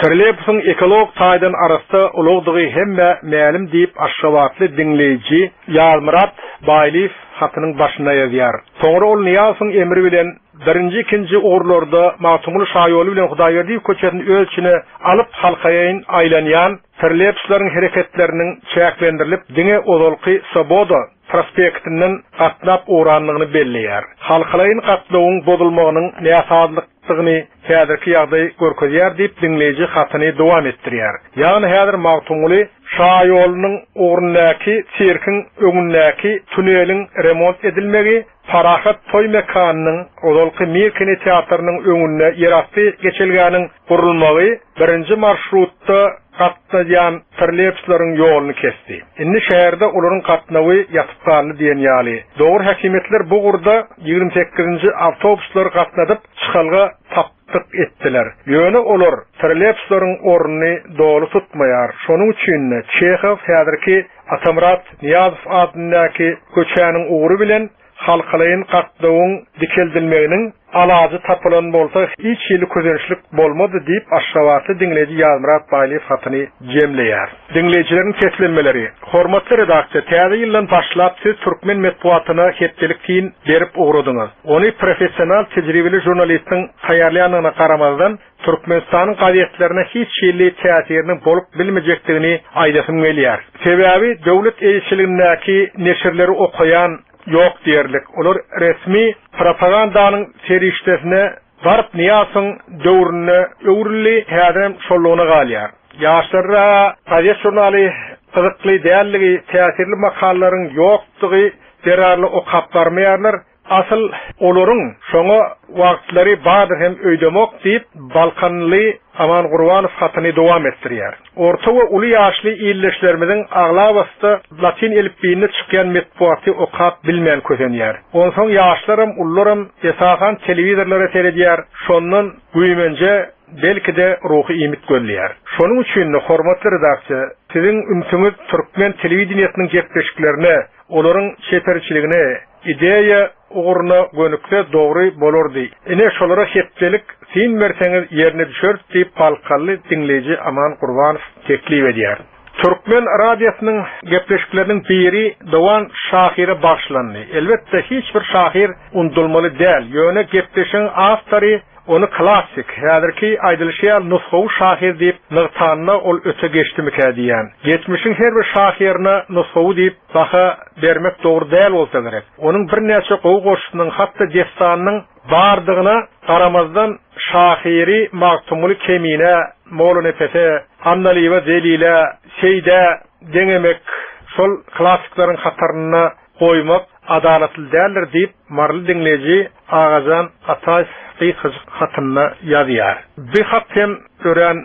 Trolleýbusyň ekolog taýdan arassa ulagdygy hemme mälim diýip Aşgabatly diňleýji Ýazmyrat Baýlyýew hatynyň başyna ýazýar. Soňra ol Nyýazowyň emri bilen birinji, ikinji ugurlarda Magtymguly Şaýoly bilen Hudaýberdiýew köçesini öz içine alyp halkaýyn aýlanýan trolleýbuslaryň hereketleriniň çäklendirilip diňe ozalky Swoboda prospektinden gatnap ugranlygyny belleýär. Halkalaýyn gatnawyň bozulmagynyň näsazlykdygyny häzirki ýagdaý görkezýär diýip diňleýji hatyny dowam etdirýär. Ýagny häzir Magtymguly Şaýolynyň ugrundaky sirkiň öňündäki tuneliň remont edilmegi, Parahat toý mekanynyň ozalky Mir kinoteatrynyň öňünde ýerasty geçelgäniň gurulmagy birinji marşrutda gatnaýan trolleýbuslaryň ýoluny kesdi. Indi şäherde olaryň gatnawy ýatyp galdy diýen ýaly. Dogry häkimiýetler bu ugurda ýigrimi sekizinji awtobuslar gatnadyp çykalga tapdyk etdiler. Ýöne olar trolleýbuslaryň ornuny doly tutmaýar. Şonuň üçin Çehow häzirki Atamyrat Nyýazow adyndaky köçäniň ugry bilen halkalaýyn gatnawyň dikeldilmeginiň alajy tapylan bolsa hiç hili közençlik bolmady diýip Aşgabatly diňleýji Ýazmyrat Baýlyýew hatyny jemleýär. Diňleýjileriň seslenmeleri. Hormatly redaksiýa, täze ýyldan başlap siz türkmen metbugatyna hepdelik syn berip ugradyňyz. Ony professional tejribeli žurnalistiň taýýarlaýandygyna garamazdan Türkmenistanyň gazetlerine hiç hili täsiriniň bolup bilmejekdigini aýdasym gelýär. Sebäbi döwlet eýeçiligindäki neşirleri okaýan ýok diýerlik. Olar resmi propagandanyň serişdesine baryp Nyýazowyň döwründe öwrüldi, häzirem şollugyna galýar. Ýaşlara gazet žurnaly gyzykly dälligi, täsirli makalalaryň ýokdugy zerarly okap barmaýarlar. Asyl olaryň şoňa wagtlary bardyr hem öýdemok diýip Balkanly Aman Gurbanow hatyny dowam etdirýär. Orta we uly ýaşly illeşlerimiziň aglabasy latin elipbiýinde çykýan metbugaty okap bilmän kösenýär. Onsoň ýaşlaram, ullaram esasan telewizorlara seredýär, şondan güýmenje belki-de ruhy iýmit gözleýär. Şonuň üçin hormatly redaksiýa, siziň ünsüňiz türkmen telewideniýesiniň gepleşiklerine, olaryň çeperçiligine, ideýa ugruna gönükse dogry bolardy. Ine şolara hepdelik syn berseňiz ýerine düşer diýip Balkanly diňleýji Aman Gurbanow teklip edýär. Türkmen radiosynyň gepleşikleriniň biri Dowan şahyra bagyşlandy. Elbetde hiç bir şahyr undulmaly däl. Ýöne gepleşigiň awtory ony klassik, häzirki aýdylyşy ýaly nusgawy şahyr diýip nygtanda ol öte geçdimikä diýen. Geçmişiň her bir şahyryna nusgawy diýip baha bermek dogry däl bolsa gerek. Onuň birnäçe gowy goşgusynyň hatda dessanynyň bardygyna garamazdan şahyry Magtymguly Kemine, Mollanepese, Annalyýewa Zelile, Seýdä deňemek, şol klassikleriň hataryna goýmak adalatly däldir diýip Marly diňleýji Agajan Ataýew gysgajyk hatynda ýazýar. Bu hat hem örän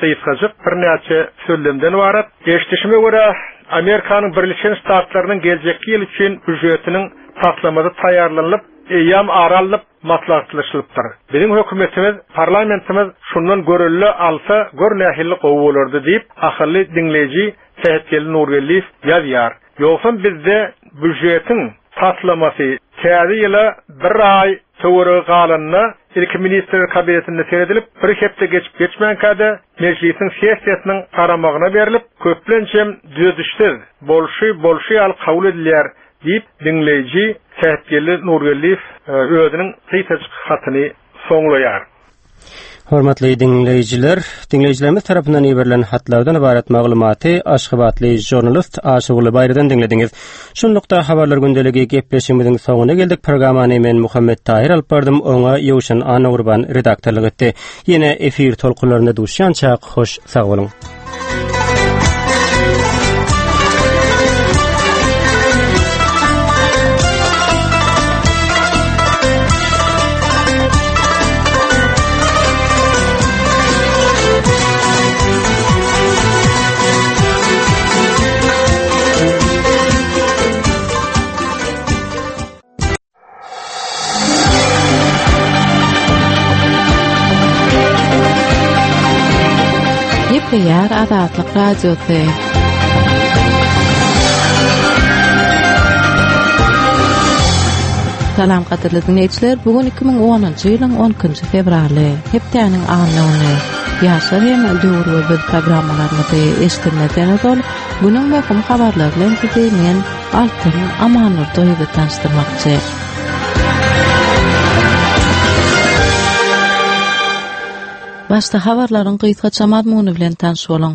gysgajyk birnäçe sözlemden ybarat. Eşidişime görä Amerikanyň Birleşen Ştatlarynyň geljekki ýyl üçin býujetiniň taslamasy taýýarlanyp, eýýäm ara alnyp maslahatlaşylypdyr. Biziň hökümetimiz, parlamentimiz şundan görelde alsa gör nähili gowy bolardy diýip ahally diňleýji Sähetgeldi Nurgeldiýew ýazýar. Ýogsam bizde býujetiň taslamasy täze ýyla bir aý töweregi galanda ilki ministrler kabinetinde seredilip, bir hepde geçip geçmänkä-de mejlisiň sessiýasynyň garamagyna berlip, köplençem düzedişsiz, bolşy bolşy ýaly kabul edilýär diýip diňleýji Sähetgeldi Nurgeldiýew özüniň gysgajyk hatyny soňlaýar. Hormatly diňleýjiler, diňleýjilerimiz tarapyndan iberilen hatlardan ybarat maglumaty Aşgabatly žurnalist Aşyrguly Baýrydan diňlediňiz. Şunlukda habarlar gündeligi gepleşigimiziň soňuna geldik. Programmany men Muhammet Tahyr alyp bardym, oňa Ýowşan Annagurban redaktorlyk etdi. Ýene efir tolkunlarynda duşýançak hoş sag boluň. Gepleýär Azatlyk Radiosy. Salam gadyrly diňleýjiler, bu gün iki müň onunjy ýylyň on ikinji fewraly, hepdäniň anna güni. Ýaşlar hem döwür we biz programmalarymyzy eşitmezden ozal, günüň möhüm habarlary bilen sizi men Altyn Amannurdyýewa tanyşdyrmakçy. Başda habarlaryň gysgaça mazmuny bilen tanyş boluň.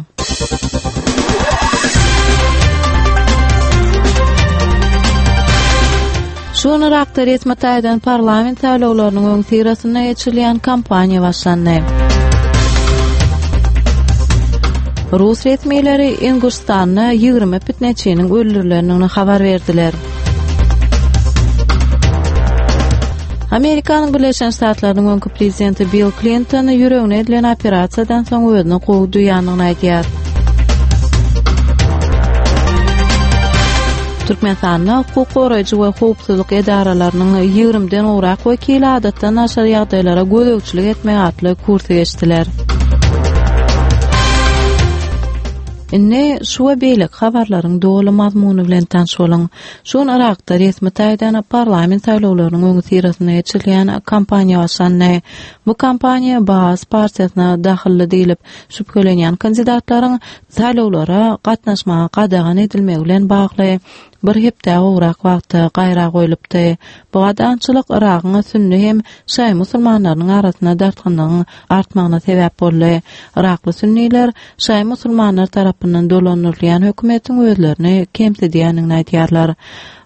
Şu gün Yrakda resmi taýdan parlament saýlawlarynyň öňüsyrasynda geçirilýän kampaniýa başlandy. Rus resmileri Inguşstanda ýigrimi pitneçiniň öldürilendigini habar berdiler. Amerikanyň Birleşen Ştatlarynyň öňki prezidenti Bill Klinton ýüregine edilen operasiýadan soň özüni gowy duýandygyny aýdýar. Türkmenistanda hukuk goraýjy we howpsuzlyk edaralarynyň ýigrimiden gowrak wekili adatdan daşary ýagdaýlara gözegçilik etmek atly kursy geçdiler. Indi şu we beýleki habarlaryň doly mazmuny bilen tanyş boluň. Şu gün Yrakda resmi taýdan parlament saýlawlarynyň öňüsyrasynda geçirilýän kampaniýa başlandy. Bu kampaniýa Baas partiýasyna dahylly diýlip şübhelenýän kandidatlaryň saýlawlara gatnaşmaga gadagan edilmegi bilen bagly bir hepde gowrak wagta gaýra goýlupdy. Bu gadagançylyk Yragyň sünni hem şaýy musulmanlarynyň arasynda dartgynlygyň artmagyna sebäp boldy. Yrakly sünniler şaýy musulmanlar tarapyndan dolandyrylýan hökümetiň özlerini kemsidýändigini aýdýarlar.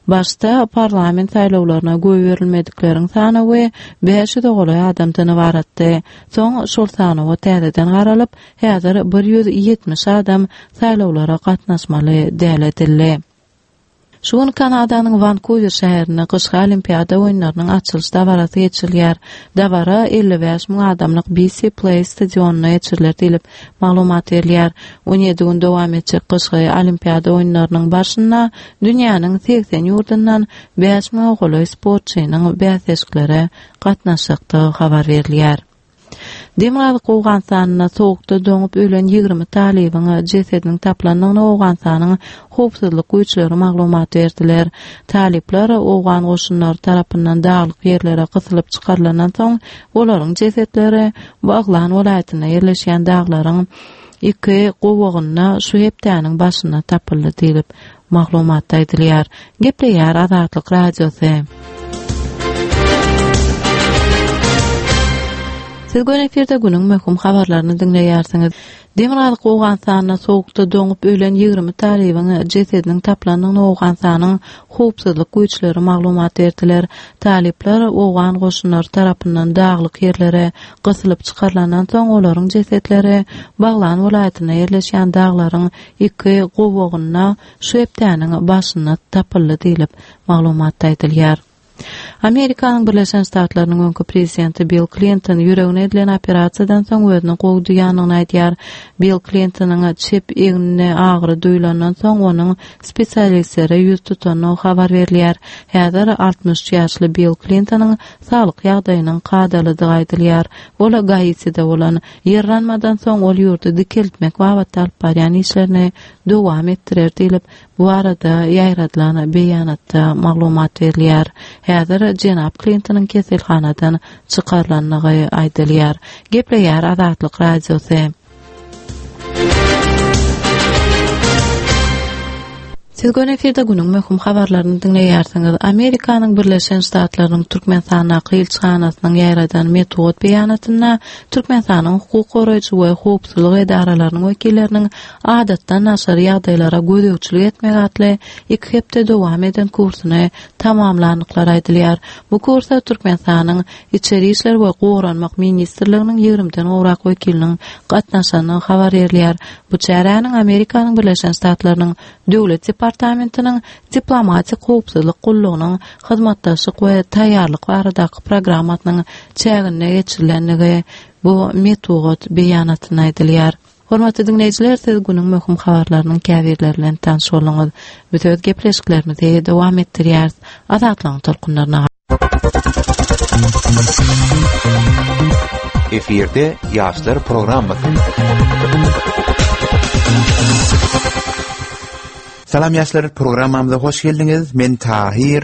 Başda parlament saýlawlaryna goýberilmedikleriň sanawy bäş ýüze golaý adamdan ybaratdy. Soň şol sanawa täzeden garalyp, häzir bir ýüz ýetmiş adam saýlawlara gatnaşmaly däl edildi. Şu gün Kanadanyň Wankuwer şäherinde gyşky olimpiada oýunlarynyň açylyş dabarasy geçirilýär. Dabara elli bäş müň adamlyk B C Place stadionynda geçiriler diýlip maglumat berilýär. On ýedi gün dowam etjek gyşky olimpiada oýunlarynyň barşynda dünýäniň segsen ýurdundan bäş müňe golaý sportçynyň bäsleşiklere gatnaşjakdygy habar berilýär. Demirgazyk Owganystanda soğukda doňup ölen ýigrimi talybyň jesediniň taplandygyny Owganystanyň howpsuzlyk güýçleri maglumat berdiler. Talyplar Owgan goşunlary tarapyndan daglyk ýerlere gysylyp çykarylandan soň olaryň jesetleri Baglan welaýatynda ýerleşýän daglaryň iki gowagynda şu hepdäniň başynda tapyldy diýlip maglumatda aýdylýar. Gepleýär Azatlyk Radiosy. Siz gün efirde günüň möhüm habarlaryny diňleýärsiňiz. Demirgazyk Owganystanda soğukda doňup ölen ýigrimi talybyň jesediniň taplandygyny Owganystanyň howpsuzlyk güýçleri maglumat berdiler. Talyplar Owgan goşunlary tarapyndan daglyk ýerlere gysylyp çykarylandan soň olaryň jesetleri Baglan welaýatynda ýerleşýän daglaryň iki gowagynda şu hepdäniň başynda tapyldy diýlip maglumatda aýdylýar. Amerikanyň Birleşen Ştatlarynyň öňki prezidenti Bill Klinton ýüregine edilen operasiýadan soň özüni gowy duýandygyny aýdýar. Bill Klintonyň çep egnine agyry duýulandan soň onuň spesialistlere ýüz tutandygy habar berilýär. Häzir altmyş üç ýaşly Bill Klintonyň saglyk ýagdaýynyň kadalydygy aýdylýar. Ol Gaitide bolan ýerlenmeden soň ol ýurdy dikeltmek babatda alyp barýan işlerini dowam etdirer diýlip bu arada ýaýradylan beýanatda maglumat berilýär. Häzir jenap Klintonyň keselhanadan çykarylandygy aýdylýar. Gepleýär Azatlyk Radiosy. Siz gün efirde günüň möhüm habarlaryny diňleýärsiňiz. Amerikanyň Birleşen Ştatlarynyň Türkmenistandaky ilçihanasynyň ýaýradan metbugat beýanatynda Türkmenistanyň hukuk goraýjy we howpsuzlyk edaralarynyň wekilleriniň adatdan daşary ýagdaýlara gözegçilik etmek atly iki hepde dowam eden kursuny tamamlandyklary aýdylýar. Bu kursa Türkmenistanyň Içeri işler we Goranmak ministrliginiň ýigrimiden gowrak wekiliniň gatnaşandygy habar berilýär. Bu çäräniň Amerikanyň Birleşen Ştatlarynyň Döwlet departamentiniň diplomatik howpsuzlyk gullugynyň hyzmatdaşlyk we taýýarlyk baradaky programmasynyň çäginde geçirilendigi bu metbugat beýanatynda aýdylýar. Hormatly diňleýjiler, siz günüň möhüm habarlarynyň käbirleri bilen tanyş bolduňyz. Biz öz gepleşiklerimizi dowam etdirýäris. Azatlygyň tolkunlaryna Efirde Ýaşlar programmasy. Salam ýaşlar programmamyza hoş geldiňiz. Men Tahir.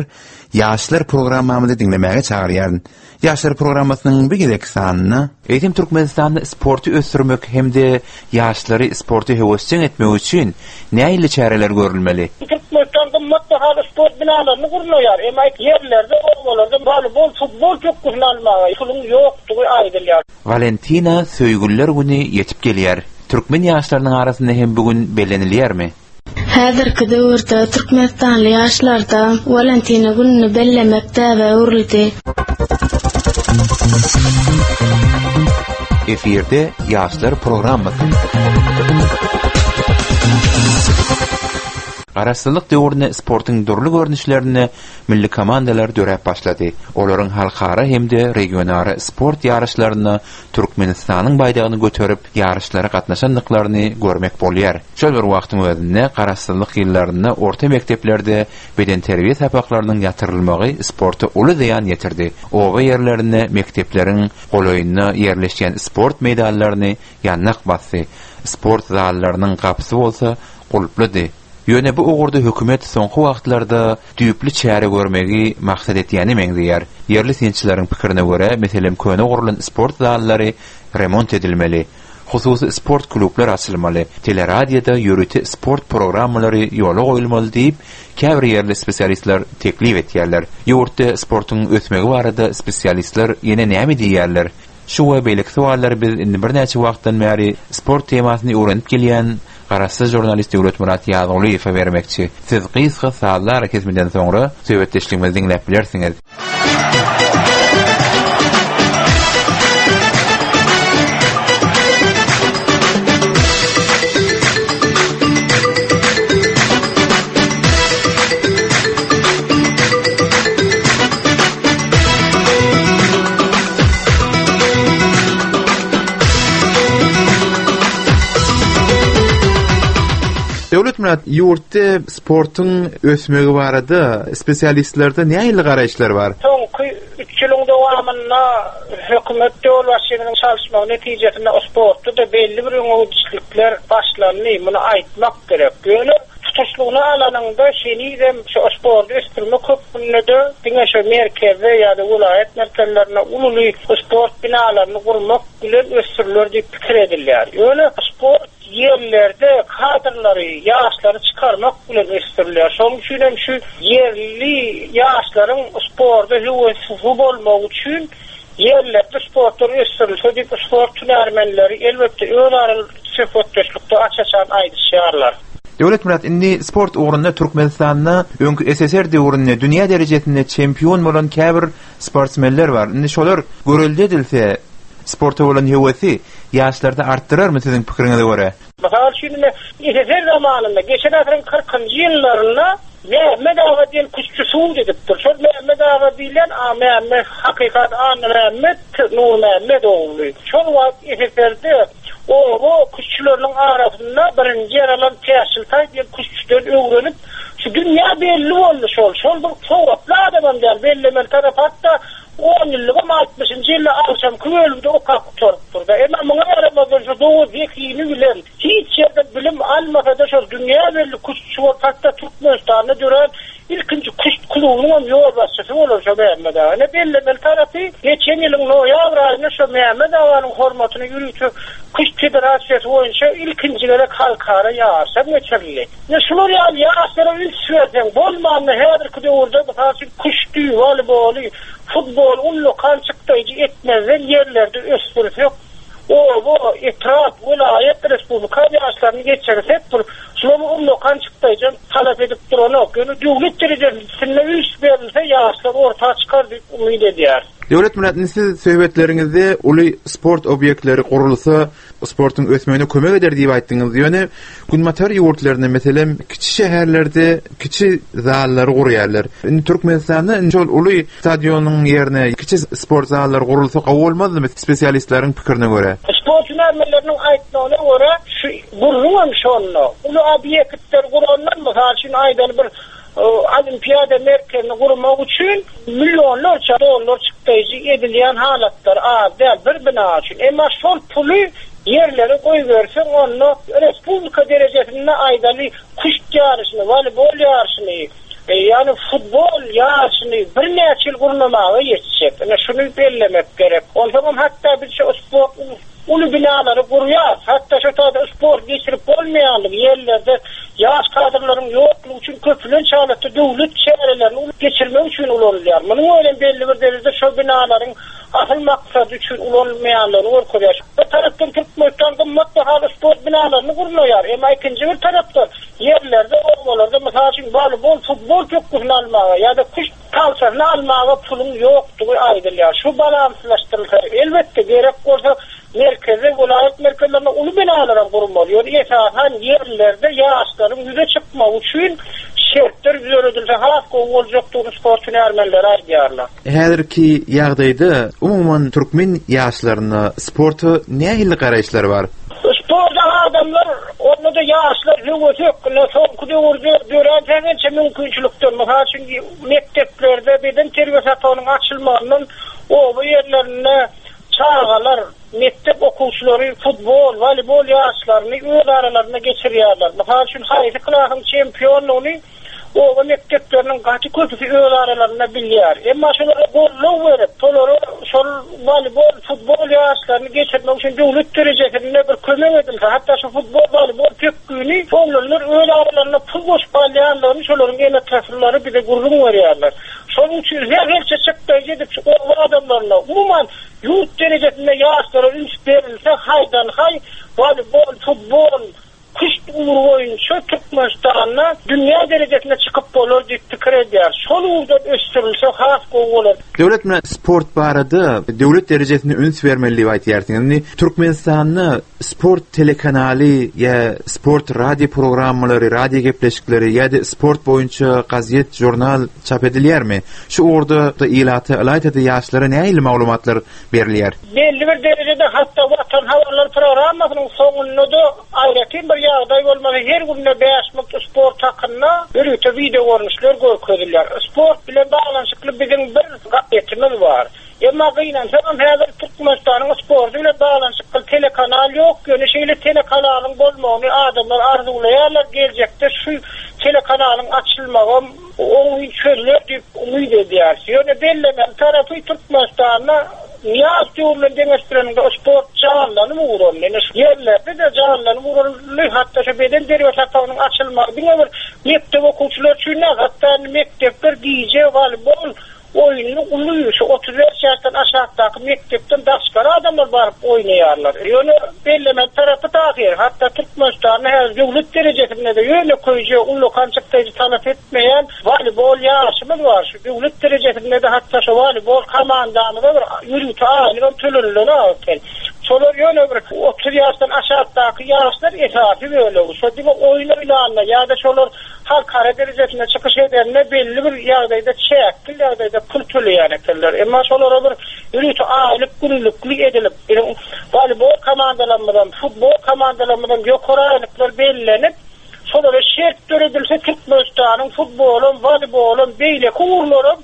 Ýaşlar programmamyzy diňlemäge çagyrýaryn. Ýaşlar programmasynyň bir gezek sanynda eýsem Türkmenistanda sporty ösdürmek hem-de ýaşlary sporty höwesjeň etmek üçin nähili çäreler görülmeli? Türkmenistan gymmat bahaly sport binalaryny gurnaýar. Emma ýerlerde, obalarda voleybol, futbol pökgüsini almaga puluň ýokdugy aýdylýar. Valentina söýgüliler güni ýetip gelýär. Türkmen ýaşlarynyň arasynda hem bu gün bellenilýärmi? Häzirki döwürde Türkmenistanly ýaşlarda Valentina gününi bellemek däbe öwrüldi. Efirde Ýaşlar programmasy. Garaşsyzlyk döwründe sportuň dürli görnüşlerinde milli komandalar döräp başlady. Olaryň halkara hem-de regionara sport ýaryşlarynda Türkmenistanyň baýdagyny göterip ýaryşlara gatnaşandyklaryny görmek bolýar. Şol bir wagtyň özünde garaşsyzlyk ýyllarynda orta mekdeplerde bedenterbiýe sapaklarynyň ýatyrylmagy sporta uly zyýan ýetirdi. Oba ýerlerinde mekdepleriň golaýynda ýerleşýän sport meýdanlaryny ýannak basdy. Sport zallarynyň gapysy bolsa gulplydy. Ýöne bu ugurda hökümet soňky wagtlarda düýpli çäre görmegi maksat etýäni meňzeýär. Ýerli synçylaryň pikirine görä, meselem köne gurlan sport zallary remont edilmeli. Hususy sport klublar açylmaly. Teleradioda ýörite sport programmalary ýola goýulmaly diýip, käbir ýerli spesialistler teklip etýärler. Ýurtda sportuň ösmegi barada spesialistler ýene näme diýýärler? Şu we beýleki sowallary biz indi birnäçe wagtdan bäri sport temasyny öwrenip gelýän Garaşsyz žurnalist Döwletmurat Ýazgulyýewe bermekçi. Siz gysga sazlar kesmeden soňra söhbetdeşligimizi diňläp bilersiňiz. Döwletmurat, ýurtda sportuň ösmegi barada spesialistlerde nähili garaýyşlar bar? Soňky üç ýylyň dowamynda hökümet ýolbaşçynyň çalyşmagy netijesinde sportda da belli bir öňegidişlikler başlandy. Muny aýtmak gerek. Ýöne tutuşlygyny alanyňda henizem şu sporty ösdürmek hökmünde diňe şu merkezde ýa-da welaýat merkezlerinde uly sport binalaryny gurmak bilen ösdüriler diýip pikir edilýär. Ýöne sport ýerlerde kadrlary, ýaşlary çykarmak bilen ösdürilýär. Şonuň üçin hem şu ýerli ýaşlaryň sporta höwesi bolmagy üçin ýerlerde sportlar ösdürilse diýip sport hünärmenleri elbetde öz araly söhbetdeşlikde aç-açan aýdyşýarlar. Döwletmurat, indi sport ugrunda Türkmenistanda öňki S S R döwründe dünýä derejesinde çempion bolan käbir sportsmenler bar. Indi şolar görelde edilse sporta bolan höwesi ýaşlarda artdyrarmy siziň pikiriňize görä? Mysal üçin, S S R zamanynda geçen asyryň kyrkynjy ýyllarynda Mehmet aga diýen küştçi suw edipdir. Şol Mehmet aga diýlen a Mehmet hakykat Anna Mehmet Nur Mehmet ogly. Şol wagt S S R-de oba küştçüleriniň arasynda birinji ýer alan Täşiltaý diýen küştçüden öwrenip, şu dünýä belli boldy şol. Şol bir sowatly adamam däl, bellemeli tarap hatda on ýyllygam altmyşynjy ýylda agşamky bölümde okap gutarypdyr da. Emma muňa garamazdan şu dowy zekini bilen hiç ýerde bilim almasa da şol dünýä belli küştçi bolup, hatda Türkmenistanda dörän ilkinji küşt klubunyň hem ýolbaşçysy bolar şo Mehmet aga. Ne bellemeli tarapy geçen ýylyň noýabr aýynda şo Mehmet aganyň hormatyna ýörite Küşt federasiýasy boýunça ilkinji gezek halkara ýaryşam geçirildi. Ne şular ýaly ýaşlara üns berseň, bolmanda häzirki döwürde mysal üçin küşti, woleýboly, futbol ullakan çykdaýjy etmezden ýerlerde ösdürsek, oba, etrap, welaýat, respublika ýaşlaryny geçirsek, bir şular ullakan çykdaýjy talap edip duranok. Ýöne döwlet derejesinde üns berilse ýaşlar orta çykar diýip umyt edýär. Döwletmyrat, indi siz söhbetleriňizde uly sport obýektleri gurulsa, sportuň ösmegine kömek eder diýip aýtdyňyz. Ýöne Günbatar ýurtlarynda, meselem, kiçi şäherlerde kiçi zallary gurýarlar. Indi Türkmenistanda indi şol uly stadionyň ýerine kiçi sport zallary gurulsa gowy bolmazmy spesialistleriň pikirine görä? Sport hünärmenleriniň aýtmagyna görä, şu gurruňam şonda. Uly obýektler gurandan, mysal üçin aýdaly bir olimpiada merkezini gurmak üçin milyonlarça dollar çykdaýjy edilýän halatlar az däl bir bina üçin. Emma şol puly ýerlere goýberseň, onda respublika derejesinde aýdaly küşt ýaryşyny, woleýbol ýaryşyny, e, ýani futbol ýaryşyny birnäçe ýyl gurnamaga ýetjek. Ine şuny bellemek gerek. Onsoňam hatda biz şu sport uly binalary gurýar. Hatda şu taýda sport geçirip bolmaýanlygy ýerlerde ýaş kadrlaryň ýoklugy üçin köpülen halatda döwlet çärelerini geçirmek üçin ulanylýar. Munuň ölen belli bir derejede şu binalaryň asyl maksady üçin ulanylmaýanlygyny görkezýär. Bir tarapdan Türkmenistan gymmat bahaly sport binalaryny gurnaýar. Emma ikinji bir tarapdan ýerlerde, obalarda mysal üçin voleybol, futbol pökgüsini almaga ýa-da küşt tagtasyny almaga puluň ýokdugy aýdylýar. Şu balanslaşdyrylsa, elbetde gerek bolsa merkezde, welaýat merkezlerinde uly binalar gurmaly. Ýöne esasan ýerlerde ýaşlaryň ýüze çykmagy üçin şertler döredilse has gowy boljakdygyny sport hünärmenleri aýdýarlar. Häzirki ýagdaýda umuman türkmen ýaşlaryna sporta nähili garaýyşlar bar? Sporta adamlar, onda da ýaşlar höwesek, soňky döwürde dörän sähelçe mümkinçilikden, mysal üçin mekdeplerde beden terbiýe sapagynyň açylmagyndan oba ýerlerinde çagalar, mektep okuwçylary futbol, voleybol ýaryşlaryny öz aralarynda geçirýärler. Mysal üçin haýsy klasyň çempionlygyny oba mekdepleriniň gaty köpüsi öz aralarynda bilýär. Emma şolara gollag berip, şolara şol voleybol, futbol ýaryşlaryny geçirmek üçin döwlet derejesinde bir kömek edilse, hatda şu futbol, voleybol pökgüni oglanlar öz aralarynda pul goşup alýanlaryny şolaryň ene-ataslary bize gürrüň berýärler. Şonuň üçin her çykdaýjy edip şu oba adamlaryna umuman ýurt derejesinde ýaşlara üns berilse, haýdan haý voleybol, futbol, küşt ugry boýunça Türkmenistanda dünýä derejesine çykyp bolar diýip pikir edýär. Şol ugurdan ösdürilse has gowy bolar. Döwlet sport barada döwlet derejesinde üns bermeli diýip aýtýarsyňyz. Indi Türkmenistanda sport telekanaly ýa sport radio programmalary, radio gepleşikleri ýa-da sport boýunça gazet, jurnal çap edilýärmi? Şu ugurda da ilata, ylaýta-da ýaşlara nähili maglumatlar berilýär? Belli bir derejede hatda Watan habarlar programmasynyň soňunda da aýratyn bir ýagdaý bolmaly. Her günde bäş minut sport hakynda ýörite video görnüşler görkezilýär. Sport bilen baglanyşykly biziň bir gazetimiz bar. Emma gynansam häzir Türkmenistanyň sporty bilen baglanyşykly telekanal ýok. Ýöne şeýle telekanalyň bolmagyny adamlar arzuwlaýarlar. Geljekde şu telekanalyň açylmagy oňyn çözüler diýip umyt edýäris. Ýöne bellemeli tarapy Türkmenistanda Niyaz döwründen deňeşdireninde sport janlanyp ugrandy. Ýöne şu ýerlerde de janlanyp ugrandy. Hatda şu beden terbiýe sapagynyň açylmagy diňe bir mekdep okuwçylary üçin däl, hatda mekdepler gije voleybol oýnuny uly şu otuz bäş ýaşdan aşakdaky mekdepden daşgary adamlar baryp oýnaýarlar. Ýöne bellemeli tarapy tahyr, hatda Türkmenistanda häzir döwlet derejesinde de ýöne köýje ullakan çykdaýjy talap etmeýän voleybol ýaryşymyz bar. Şu döwlet derejesinde de hatda şu voleybol komandamyza bir ýörite aýlygam tölenilen eken. Şolar ýöne bir otuz ýaşdan aşakdaky ýaşlar esasy bölegi. Şo diňe oýun oýnanda ýa-da şolar halkara derejesinde çykyş edenine belli bir ýagdaýda çäkli ýagdaýda pul töleýän ekenler. Emma şolara bir ýörite aýlyk günlükli edilip, voleybol komandalarymyzdan, futbol komandalarymyzdan ýokary aýlyklar bellenip, şolara şert döredilse Türkmenistanyň futbolum, voleybolum, beýleki ugurlaram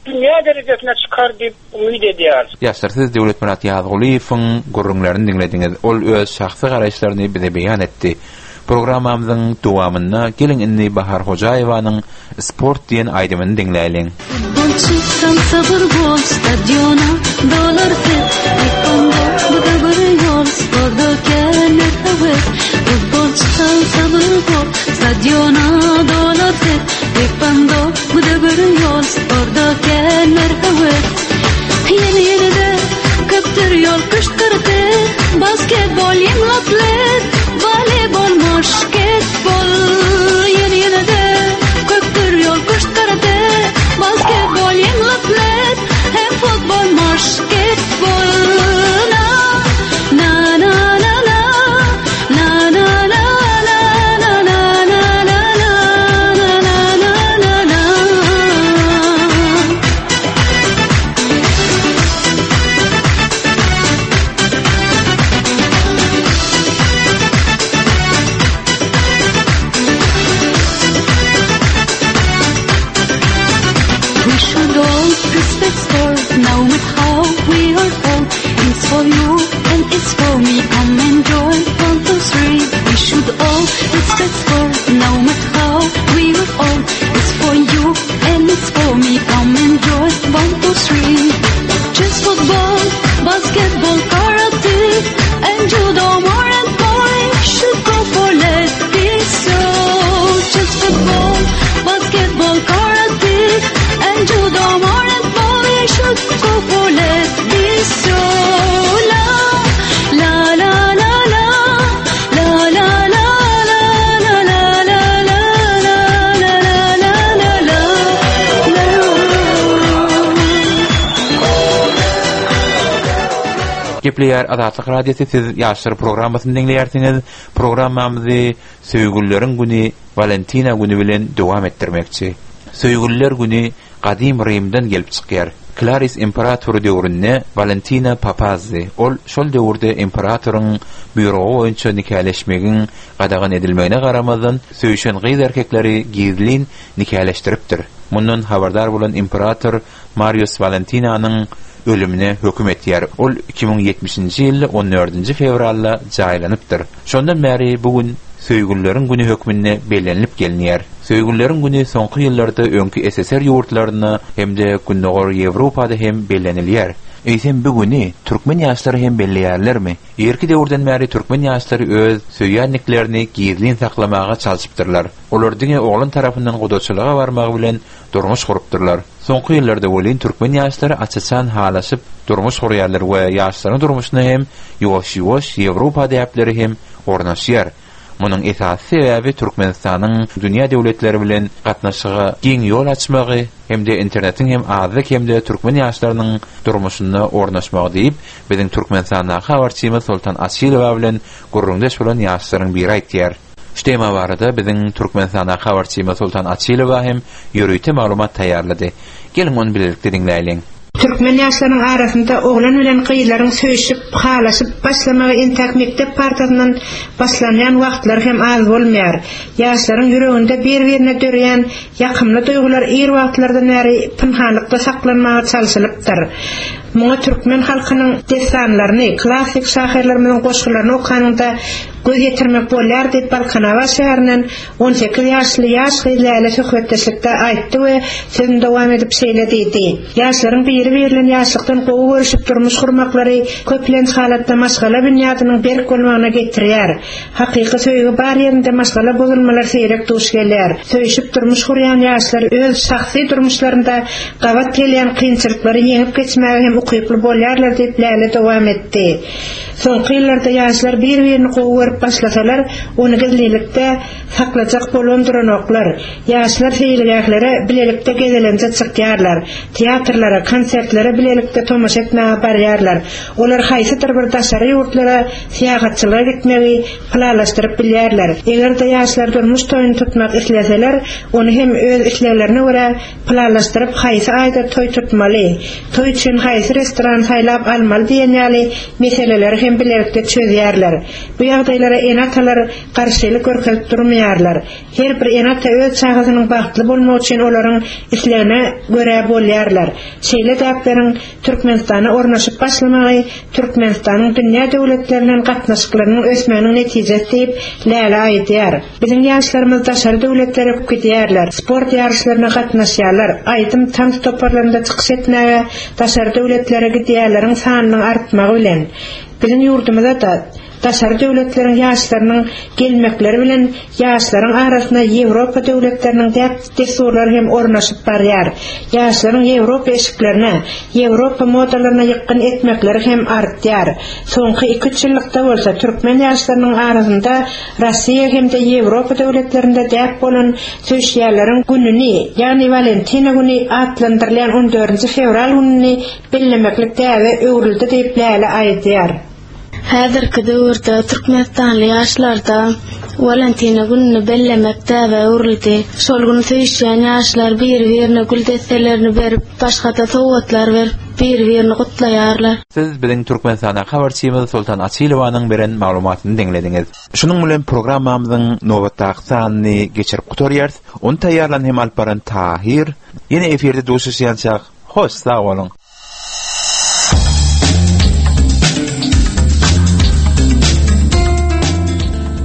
dünýä derejesine çykar diýip umyt edýäris. Ýaşlar, siz Döwletmyrat Ýazgulyýewiň gürrüňlerini diňlediňiz. Ol öz şahsy garaýyşlaryny bize beýan etdi. Programmamyzyň dowamynda geliň indi Bahar Hojaýewanyň Sport diýen aýdymyny diňläýliň. Futbolçy sabır bol stadiona dolar set Taekwondo bu da bir ýol sporda känler höwes Futbolçy sabır bol stadiona dolar set Taekwondo bu da bir ýol sporda känler höwes Ýene ýene de köpdür ýol küşt Basketbol ýeňil atlet Voleybol moşketbol Ýene ýene de köpdür ýol küşt Basketbol ýeňil atlet Hem futbol moşketbol Na na na na na na na na na na na na na na na na na na We should all respect sport, no matter how we are old. It's for you and it's for me. Come and join one, two, three. We should all respect sport, no matter how we are old. It's for you and it's for me. Come and join one, two, three. Chess, football, basketball, karate, and judo, more and more. Should go for let be so. Chess, football, basketball, karate, and judo, more and more. We should go for let be so. La la la la la la la la la la la la la la la la la la la Gepleýär Azatlyk Radiosy siz ýaşlar programmasyny diňleýärsiňiz. Programmamyzy Söýgülleriň güni Valentina güni bilen dowam etdirmekçi. Söýgüller güni gadym Rimden gelip çykýar. Klaris imperatory döwründe Valentina papazdy. Ol şol döwürde imperatoryň buýrugy boýunça nikaleşmegiň gadagan edilmegine garamazdan söýüşen gyz erkekleri gizlin nikaleşdiripdir. Mundan habardar bolan imperator Marius Valentinanyň ölümine höküm etýär. Ol iki müň ýetmişinji ýylda on dördünji fewralda jaýlanypdyr. Şondan bäri bugün Söýgülleriň güni hökmünde bellenilip gelinýär. Söýgülleriň güni soňky ýyllarda öňki S S R ýurtlarynda hem-de Gündogar Ýewropada hem bellenilýär. Eýsem bu güni türkmen ýaşlary hem belleýärlermi? Irki döwürden bäri türkmen ýaşlary öz söýýänliklerini gizlin saklamaga çalyşypdyrlar. Olar diňe oglan tarapyndan gudaçylyga barmagy bilen durmuş gurupdyrlar. Soňky ýyllarda welin türkmen ýaşlary açaçan halaşyp durmuş gurýarlar we ýaşlaryň durmuşyna hem ýuwaş-ýuwaş Ýewropa däpleri hem ornaşýar. Munuň esasy sebäbi Türkmenistanyň dünýä döwletleri bilen gatnaşyga giň ýol açmagy hem-de internetiň hem azlyk hem-de türkmen ýaşlarynyň durmuşynda ornaşmagy diýip, biziň Türkmenistandaky habarçymyz Sultan Açylowa bilen gürrüňdeş bolan ýaşlaryň biri aýtýar. Şu tema barada biziň Türkmenistandaky habarçymyz Sultan Açylowa hem ýörite maglumat taýýarlady. Geliň ony bilelikde diňläýliň. Türkmen ýaşlarynyň arasynda oglan bilen gyzlaryň söýüşip, halaşyp başlamagy entäk mekdep partasyndan başlanýan wagtlar hem az bolmaýar. Ýaşlaryň ýüreginde bir-birine dörýän ýakymly duýgular ir wagtlardan bäri pynhanlykda saklanmaga çalşylypdyr. Muňa türkmen halkynyň destanlaryny, klassik şahyrlarymyzyň goşgularyny okanyňda göz ýetirmek bolýar diýip Balkanabat şäherinden on sekiz ýaşly ýaş gyz Läle söhbetdeşlikde aýtdy we sözüni dowam edip şeýle diýdi. Ýaşlaryň biri-birinden ýaşlykdan gowy görüşüp durmuş gurmaklary köplenç halatda maşgala binýadynyň berk bolmagyna getirýär. Hakyky söýgi bar ýerinde maşgala bozulmalar seýrek duş gelýär. Söýüşip durmuş gurýan ýaşlar öz şahsy durmuşlarynda gabat gelýän kynçylyklary ýeňip geçmäge hem ukyply bolýarlar diýip Läle dowam etdi. Soňky ýyllarda ýaşlar bir-birini gowy görüp başlasalar, ony gizlilikde saklajak bolan duranoklar. Ýaşlar seýilgählere bilelikde gezelenje çykýarlar. Teatrlara, konsertlere bilelikde tomaşa etmäge barýarlar. Olar haýsydyr bir daşary ýurtlara syýahatçylyga gitmegi planlaşdyryp bilýärler. Eger-de ýaşlar durmuş toýuny tutmak isleseler, ony hem öz isleglerine görä planlaşdyryp haýsy aýda toý tutmaly, toý üçin haýsy restoran saýlap almaly diýen ýaly meseleleri hem bilelikde çözýärler. Bu ýagdaýlar ýagdaýlara ene-atalar garşylyk görkezip durmaýarlar. Her bir ene-ata öz çagasynyň bagtly bolmagy üçin olaryň islegine görä bolýarlar. Şeýle däpleriň Türkmenistana ornaşyp başlamagy Türkmenistanyň dünýä döwletleriniň gatnaşyklarynyň ösmeginiň netijesi diýip Läle aýdýar. Biziň ýaşlarymyz daşary döwletlere gidýärler, sport ýaryşlaryna gatnaşýarlar, aýdym tans toparlarynda çykyş etmäge daşary döwletlere gidýärleriň sanynyň artmagy bilen biziň ýurdumyza da daşary döwletleriň ýaşlarynyň gelmekleri bilen ýaşlaryň arasynda Ýewropa döwletleriniň däp dessurlary hem ornaşyp barýar. Ýaşlaryň Ýewropa eşiklerine, Ýewropa modalaryna ýykgyn etmekleri hem artýar. Soňky iki üç ýyllykda bolsa türkmen ýaşlarynyň arasynda Russiýa hem-de Ýewropa döwletlerinde däp bolan söýüşýärleriň gününi, ýagny Walentina güni atlandyrylýan on dördünji fewral gününi bellemeklik däbe öwrüldi diýip Läle aýdýar. Häzirki döwürde Türkmenistanly ýaşlarda Walentina gününi bellemek däbe öwrüldi. Şol gün söýüşýän ýaşlar bir-birine gül desselerini berip, başga-da sowgatlar berip, bir-birini gutlaýarlar. Siz biziň Türkmenistana habarçymyz Sultan Açylowanyň beren maglumatyny diňlediňiz. Şunuň bilen programmamyzyň nobatdaky sanyny geçirip gutarýarys. Ony taýýarlan hem alyp baran Tahir. Ýene efirde duşuşýançak, hoş sag boluň.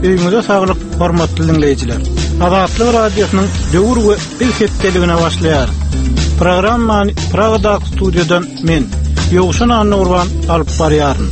Öýüňize saglyk, hormatly dinleýjiler. Azatlyk radiosynyň döwür we biz hepdeligine başlaýar. Programmany Pragadaky studiýadan men Ýowşan Annagurban alyp barýaryn.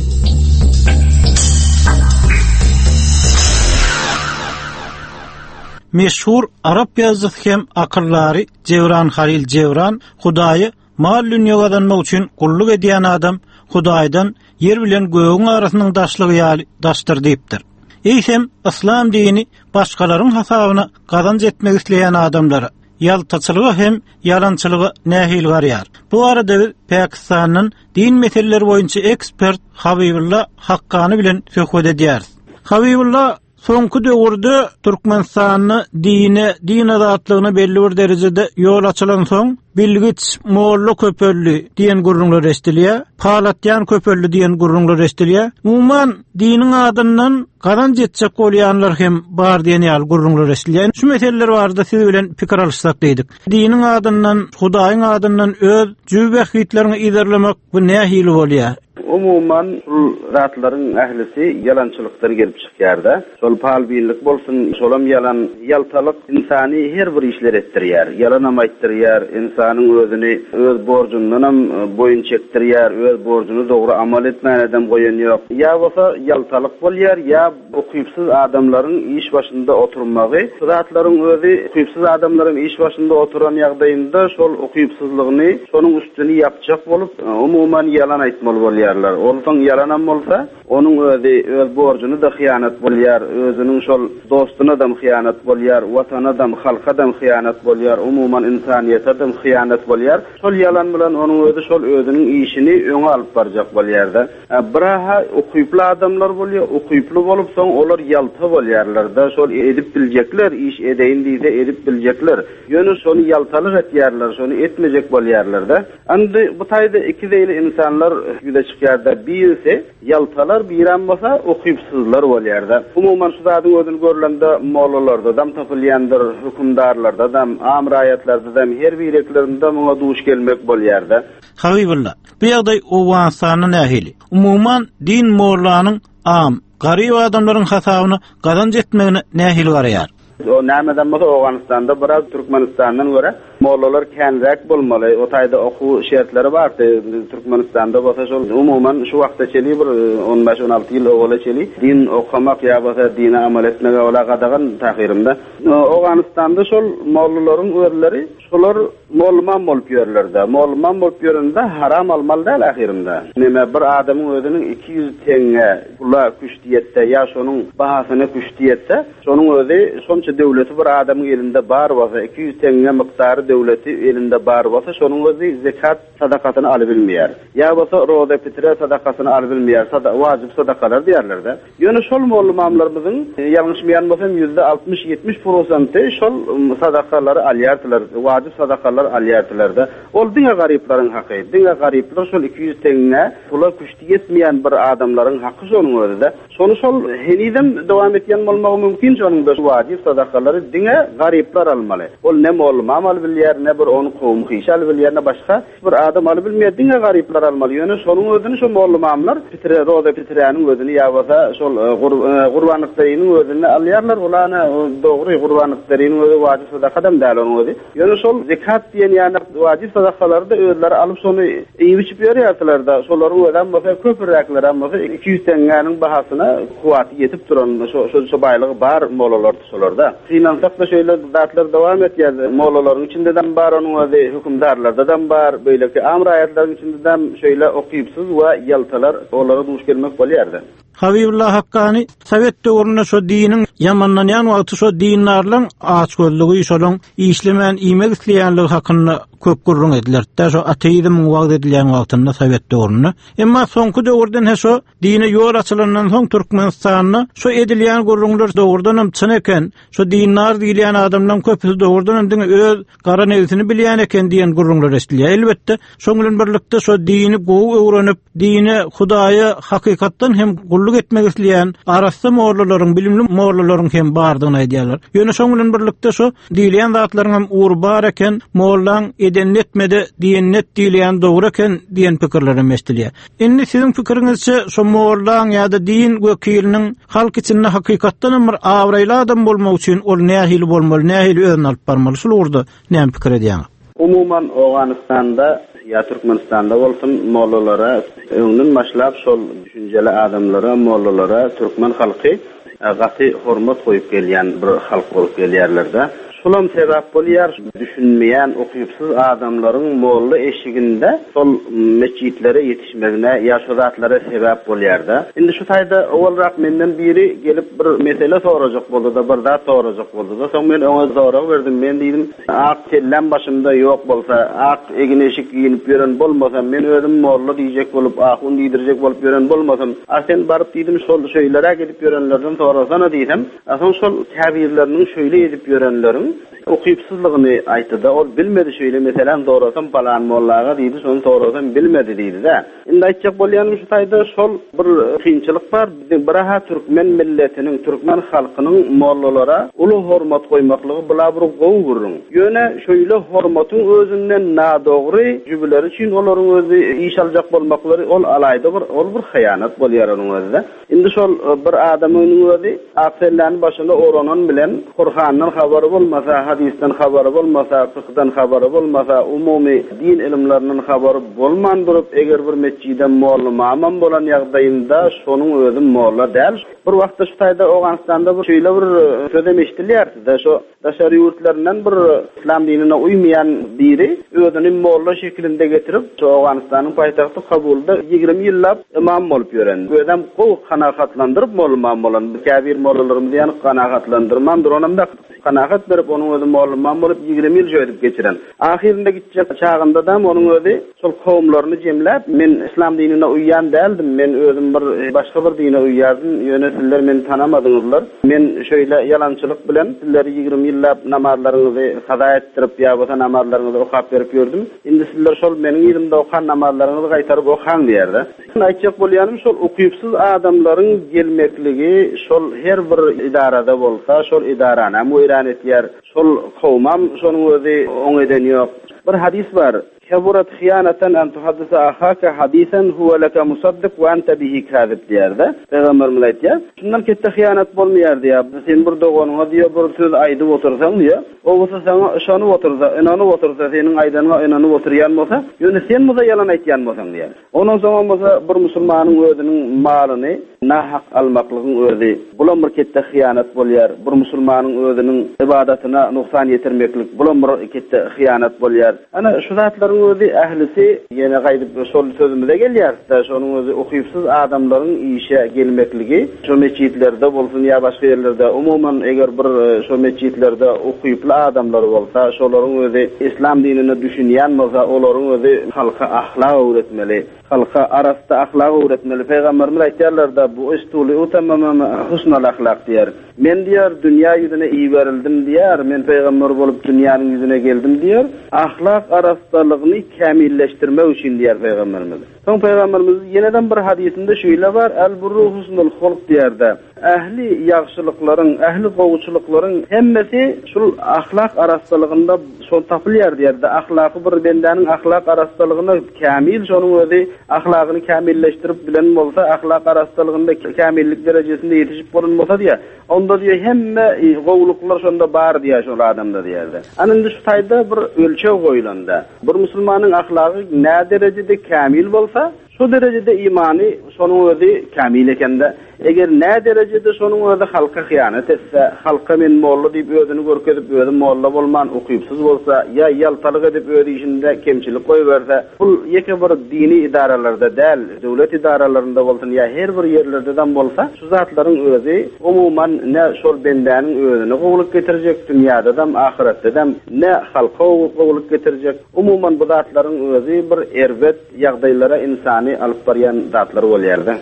Meşhur Arap ýazyjysy hem akyllary Jebran Halil Jebran Hudaýy mal dünýä gazanmak üçin gulluk edýän adam Hudaýdan ýer bilen gögüň arasynyň daşlygy ýaly daşdyr diýipdir. Eýsem, yslam dini başgalaryň hasabyna gazanç etmek isleýän adamlara ýaltaçylyga hem ýalançylyga nähili garýar? Bu arada biz Pakistandan din meseleleri boýunça ekspert Habibulla Hakkany bilen söhbet edýäris. Habibulla, soňky döwürde Türkmenistanda dine, din azatlygyna belli bir derejede ýol açylan soň bilgiç, molla köpeldi diýen gürrüňler eşidilýär, palatýan köpeldi diýen gürrüňler eşidilýär. Umuman diniň adyndan gazanç etjek bolýanlar hem bar diýen ýaly gürrüňler eşidilýär. Şu meseleler barada siz bilen pikir alyşsak diýdik. Diniň adyndan, Hudaýyň adyndan öz jübi bähbitlerini ilerlemek bu nähili bolýar? Umuman bu zatlaryň ählisi ýalançylykdan gelip çykýar-da. Şol palbinlik bolsun, şolam ýalan, ýaltalyk insany her bir işler etdirýär. Ýalanam aýtdyrýar, insanyň özüni öz borjundanam boýun çekdirýär, öz borjuny dogry amal etmänedem goýan ýok. Ýa bolsa ýaltalyk bolýar, ýa ukypsyz adamlaryň iş başynda oturmagy. Bu zatlaryň özi ukypsyz adamlaryň iş başynda oturan ýagdaýynda şol ukypsyzlygyny şonuň üstüni ýapjak bolup, umuman ýalan aýtmaly bolýarlar. Onsoň ýalanam bolsa, onuň özi öz borjuny da hyýanat bolýar, özüniň şol dostuna da hyýanat bolýar, watana da, halka da hyýanat bolýar, umuman insaniýete da hyýanat bolýar. Şol ýalan bilen onuň özi şol özüniň işini öňe alyp barjak bolýar-da. Biraha ukyply adamlar bolýar, ukyply bolup soň olar ýalta bolýarlar-da, şol edip biljekler, iş edeýin diýse edip biljekler. Ýöne şony ýaltalyk etýärler, şony etmejek bolýarlar-da. Indi bu taýda iki zeýli insanlar ýüze çykýar-da, birisi ýaltalar, birem bolsa ukypsyzlar bolýar-da. Umuman şu zadyň özüni görlende mollalarda dam tapylýandyr, hökümdarlarda dam, am raýatlarda dam her bireklerinde muňa duş gelmek bolýar-da. Habibulla, bu ýagdaý Owganystanda nähili? Umuman din mollanyň am, garyp adamlaryň hasabyna gazanç etmegine nähili garaýar? O nämeden bolsa Owganystanda biraz Türkmenistandan görä mollalar känräk bolmaly. O taýda okuw şertleri bardy. Türkmenistanda bolsa şol umuman şu wagta çeli bir on bäş on alty ýyl owala çeli din okamak ýa bolsa dine amal etmege ola gadagan tahyrymda. Owganystanda şol mollalaryň özleri şolar mollman bolup ýörlerde. Mollman bolup ýörende haram almaly däl ahyrynda. Näme bir adamyň özüniň iki ýüz teňňe pula küşdiýetde ýa şonuň bahasyna küşdiýetde şonuň özi şonça döwleti bir adamyň elinde bar bolsa iki ýüz teňňe mikdary döwleti elinde bar bolsa şonuň özi zekat sadakasyny alyp bilmeýär. Ýa bolsa roza fitre sadakasyny alyp bilmeýär. Sada wajib sadakalar diýerler-de. Ýöne şol molla-ymamlarymyzyň ýalňyşmaýan bolsam ýüzde altmyş ýetmiş prosenti şol sadakalary alýardylar, wajib sadakalar alýardylar-da. Ol diňe garyplaryň haky, diňe garyplar şol iki ýüz teňňe pula küşti ýetmeýän bir adamlaryň haky şonuň özi-de. Şonu şol henizem dowam etýän bolmagy mümkin şonuň da wajib sadakalary diňe garyplar almaly. Ol ne molla-ymam alyp bilýär, ne bir onu kowum hyş alyp bilýär, ne başga bir adam alyp bilmeýär, diňe garyplar almaly. Ýöne şonuň özüni şo molla-ymamlar fitre, roza fiträniň özüni ýa bolsa şol gurbanlykdarynyň özüni alýarlar. Ulana dogry gurbanlykdarynyň özi wajib sadakadam däl onuň özi. Ýöne şol zekat diýen ýany wajib sadakalary da özleri alyp şonu iýip içip ýörýärdiler-de. Şolaryň özem bolsa köpüräkler hem bolsa iki ýüz teňňäniň bahasyna kuwwaty ýetip duran şo şo şo baýlygy bar mollalar şolarda. Synansak da şeýle zatlar dowam etýär. Mollalaryň içinde-de bar onuň özi, hökümdarlarda-da bar, beýleki am raýatlaryň içinde-de şeýle okypsyz we ýaltalar olara duş gelmek bolýardy. Habibullah Hakkani Sovet döwründe şo diniň ýamanlanýan wagty şo dindarlaryň açgözlügi, şolaryň işlemän iýmek isleýänligi hakynda köp gürrüň edilerdi. Şo ateizmiň wagt edilýän wagtynda Sovet döwründe. Emma soňky döwürden he şo dine ýol açylandan soň Türkmenistanda şo edilýän gürrüňler dogrudan hem çyn eken. Şo dindar diýilýän adamlaryň köpüsi dogrudan hem diňe öz gara nebsini bilýän eken diýen gürrüňler eşidilýär. Elbetde, şoň bilen birlikde şo dini gowy öwrenip, dine, Hudaýa hakykatdan hem gulluk etmek isleýän arassa mollalaryň, bilimli mollalaryň hem bardygyny aýdýarlar. Ýöne şoň bilen birlikde şo diýilýän zatlaryň hem ugry bar eken, mollaň eden etmede diýen net diýilýän dogry eken diýen pikirler hem eşidilýär. Indi siziň pikiriňizçe şo mollaň ýa-da din wekiliniň halk içinde hakykatdan hem bir abraýly adam bolmak üçin ol nähili bolmaly, nähili özüni alyp barmaly? Şul ugurda näme pikir edýäňiz? Umuman Owganystanda ýa Türkmenistanda bolsun mollalara öňden başlap şol düşünjeli adamlara, mollalara türkmen halky gaty hormat goýup gelýän bir halk bolup gelýärler-de. Şulam sebäp bolýar, düşünmeýän, okypsyz adamlaryň molla eşiginde şol mesjitlere ýetişmegine ýa şo zatlara sebäp bolýar-da. Indi şu taýda owalrak menden biri gelip bir mesele sorajak boldy-da, bir zat sorajak boldy-da. Soň men oňa sorag berdim. Men diýdim, ak kellem başymda ýok bolsa, ak egin eşik giýinip ýören bolmasam, men özüm molla diýjek bolup, ahun diýdirjek bolup ýören bolmasam, a sen baryp diýdim, şol şeýleräk edip ýörenlerden sorasana diýsem, a soň şol käbirleriniň şeýle edip ýörenleriň okypsyzlygyny aýtdy-da, ol bilmedi şeýle meselem sorasam balan mollaga diýdi, şonu sorasam bilmedi diýdi-de. Indi aýtjak bolýanym şu taýda şol bir kynçylyk bar. Biziň biraha türkmen milletiniň, türkmen halkynyň mollalara uly hormat goýmaklygy bula bir gowy gürrüň. Ýöne şeýle hormatyň özünden nadogry jübüleri üçin olaryň özi iş aljak bolmaklary ol alaýda bir, ol bir hyýanat bolýar onuň özüne. Indi şol bir adamyň özi ak selläni başyna oranan bilen Kur'andan habary bolmasa, hadisden habary bolmasa, fıkhdan habary bolmasa, umumy din ilimlerinden habary bolman durup, eger bir mesjide molla mamam bolan ýagdaýynda şonuň özi molla däl. Bir wagtda şu taýda Owganystanda bir şeýle bir sözem eşidilýärdi-de, şo daşary ýurtlaryndan bir islam dinine uýmaýan biri özüni molla şekilinde getirip, şo Owganystanyň paýtagty Kabulda ýigrimi ýyllap imam bolup ýören. Özem gowy kanagatlandyryp molla imam bolan. Käbir mollalarymyzy ýany kanagatlandyrman duranam da kanagat berip onuň özi molla imam bolup ýigrimi ýyl şöýdüp geçiren. Ahyrynda gitjek çagynda da onuň özi şol kowumlaryny jemläp, men islam dinine uýan däldim, men özüm bir başga bir dine uýardym, ýöne sizler meni tanamadyňyzlar. Men şöyle ýalançylyk bilen sizleri ýigrimi ýyllap namazlaryňyzy kaza etdirip, ýa bolsa namazlaryňyzy okap berip ýördüm. Indi sizler şol meniň ýyllymda okan namazlaryňyzy gaýtaryp okaň diýerdi. Aýtjak bolýanym şol okypsyz adamlaryň gelmekligi şol her bir idarada bolsa, şol idarany hem weýran etýär. Şol kowmam şonuň özi oň eden ýok. Bir hadis bar. Keburat hiyanatan en tuhaddisa ahaka hadisan huwa laka musaddiq wa anta bihi kazib diýerdi. Peygamberimiz aýtýar. Şundan ketde hiyanat bolmaýar diýär. Sen bir doganyňa diýär, bir söz aýdyp otursaň diýär. O bolsa saňa yşanyp otursa, inanyp otursa, seniň aýdanyňa inanyp oturýan bolsa, ýöne sen bolsa ýalan aýtýan bolsaň diýär. Ondan soň bolsa bir musulmanyň özüniň malyny nahak almaklygyň özi bulam bir ketde hiyanat bolýar. Bir musulmanyň özüniň ibadatyna noksan ýetirmeklik bulam bir ketde hiyanat bolýar. Ana şu zatlaryň zatlaryň özi ählisi ýene gaýdyp şol sözümize gelýär-de, şonuň özi ukypsyz adamlaryň işe gelmekligi, şo metjitlerde bolsun ýa başga ýerlerde, umuman eger bir şo metjitlerde ukyply adamlar bolsa, şolaryň özi islam dinine düşünýän bolsa, olaryň özi halka ahlak öwretmeli. Halka arassa ahlak öwretmeli. Pygamberimiz aýtýarlar-da, bu istuli utammama husnal ahlak diýer. Men diýer, dünýä ýüzüne iberildim diýer, men pygamber bolup dünýäniň ýüzüne geldim diýer. Ahlak arassalygyny kämilleşdirmek üçin diýer pygamberimiz. Soň pygamberimiz ýeneden bir hadysynda şeýle bar, el burru husnul hulk diýerde. Ähli ýagşylyklaryň, ähli gowuçylyklaryň hemmesi şul ahlak arassalygynda şol tapylýar diýerde. Ahlaky bir bendäniň ahlak arassalygyna kämil, şonuň özi ahlagyny kämilleşdirip bilen bolsa, ahlak arassalygynda kämillik derejesinde ýetişip bolan bolsa diýär. Onda diýär hemme gowulyklar şonda bar diýär şol adamda diýerde. Ana indi şu taýda bir ölçeg goýulanda, bir musulmanyň ahlagy nä derejede kämil bolsa, şu derejede imany şonuň özi kämil ekende. Eger nä derejede şonuň özi halka hyýanat etse, halka men molla diýip özüni görkezip, özi molla bolman ukypsyz bolsa, ýa ýaltalyk edip öz işinde kemçilik goýberse, bu ýeke bir dini idaralarda däl, döwlet idaralarynda bolsun ýa her bir ýerlerde bolsa, şu zatlaryň özi umuman ne şol bendäniň özüne gowulyk getirjek, dünýäde-de, ahyretde-de, ne halka gowulyk getirjek. Umuman bu zatlaryň özi bir erbet ýagdaýlara insany alyp barýan zatlar bolýar-da.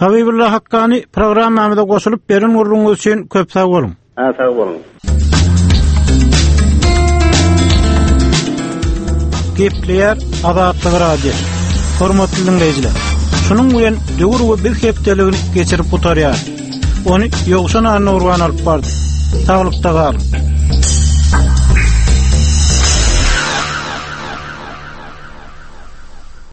Habibullah Hakkani programmamyza goşulyp beren gurruňyz üçin köp sag boluň. Ha, sag boluň. Gepleýär Azatlyk Radiosy. Hormatly dinleýjiler, şunuň bilen döwür we biz hepdeligini geçirip gutarýar. Ony Ýowşan Annurban alyp bardy. Saglykda galyň.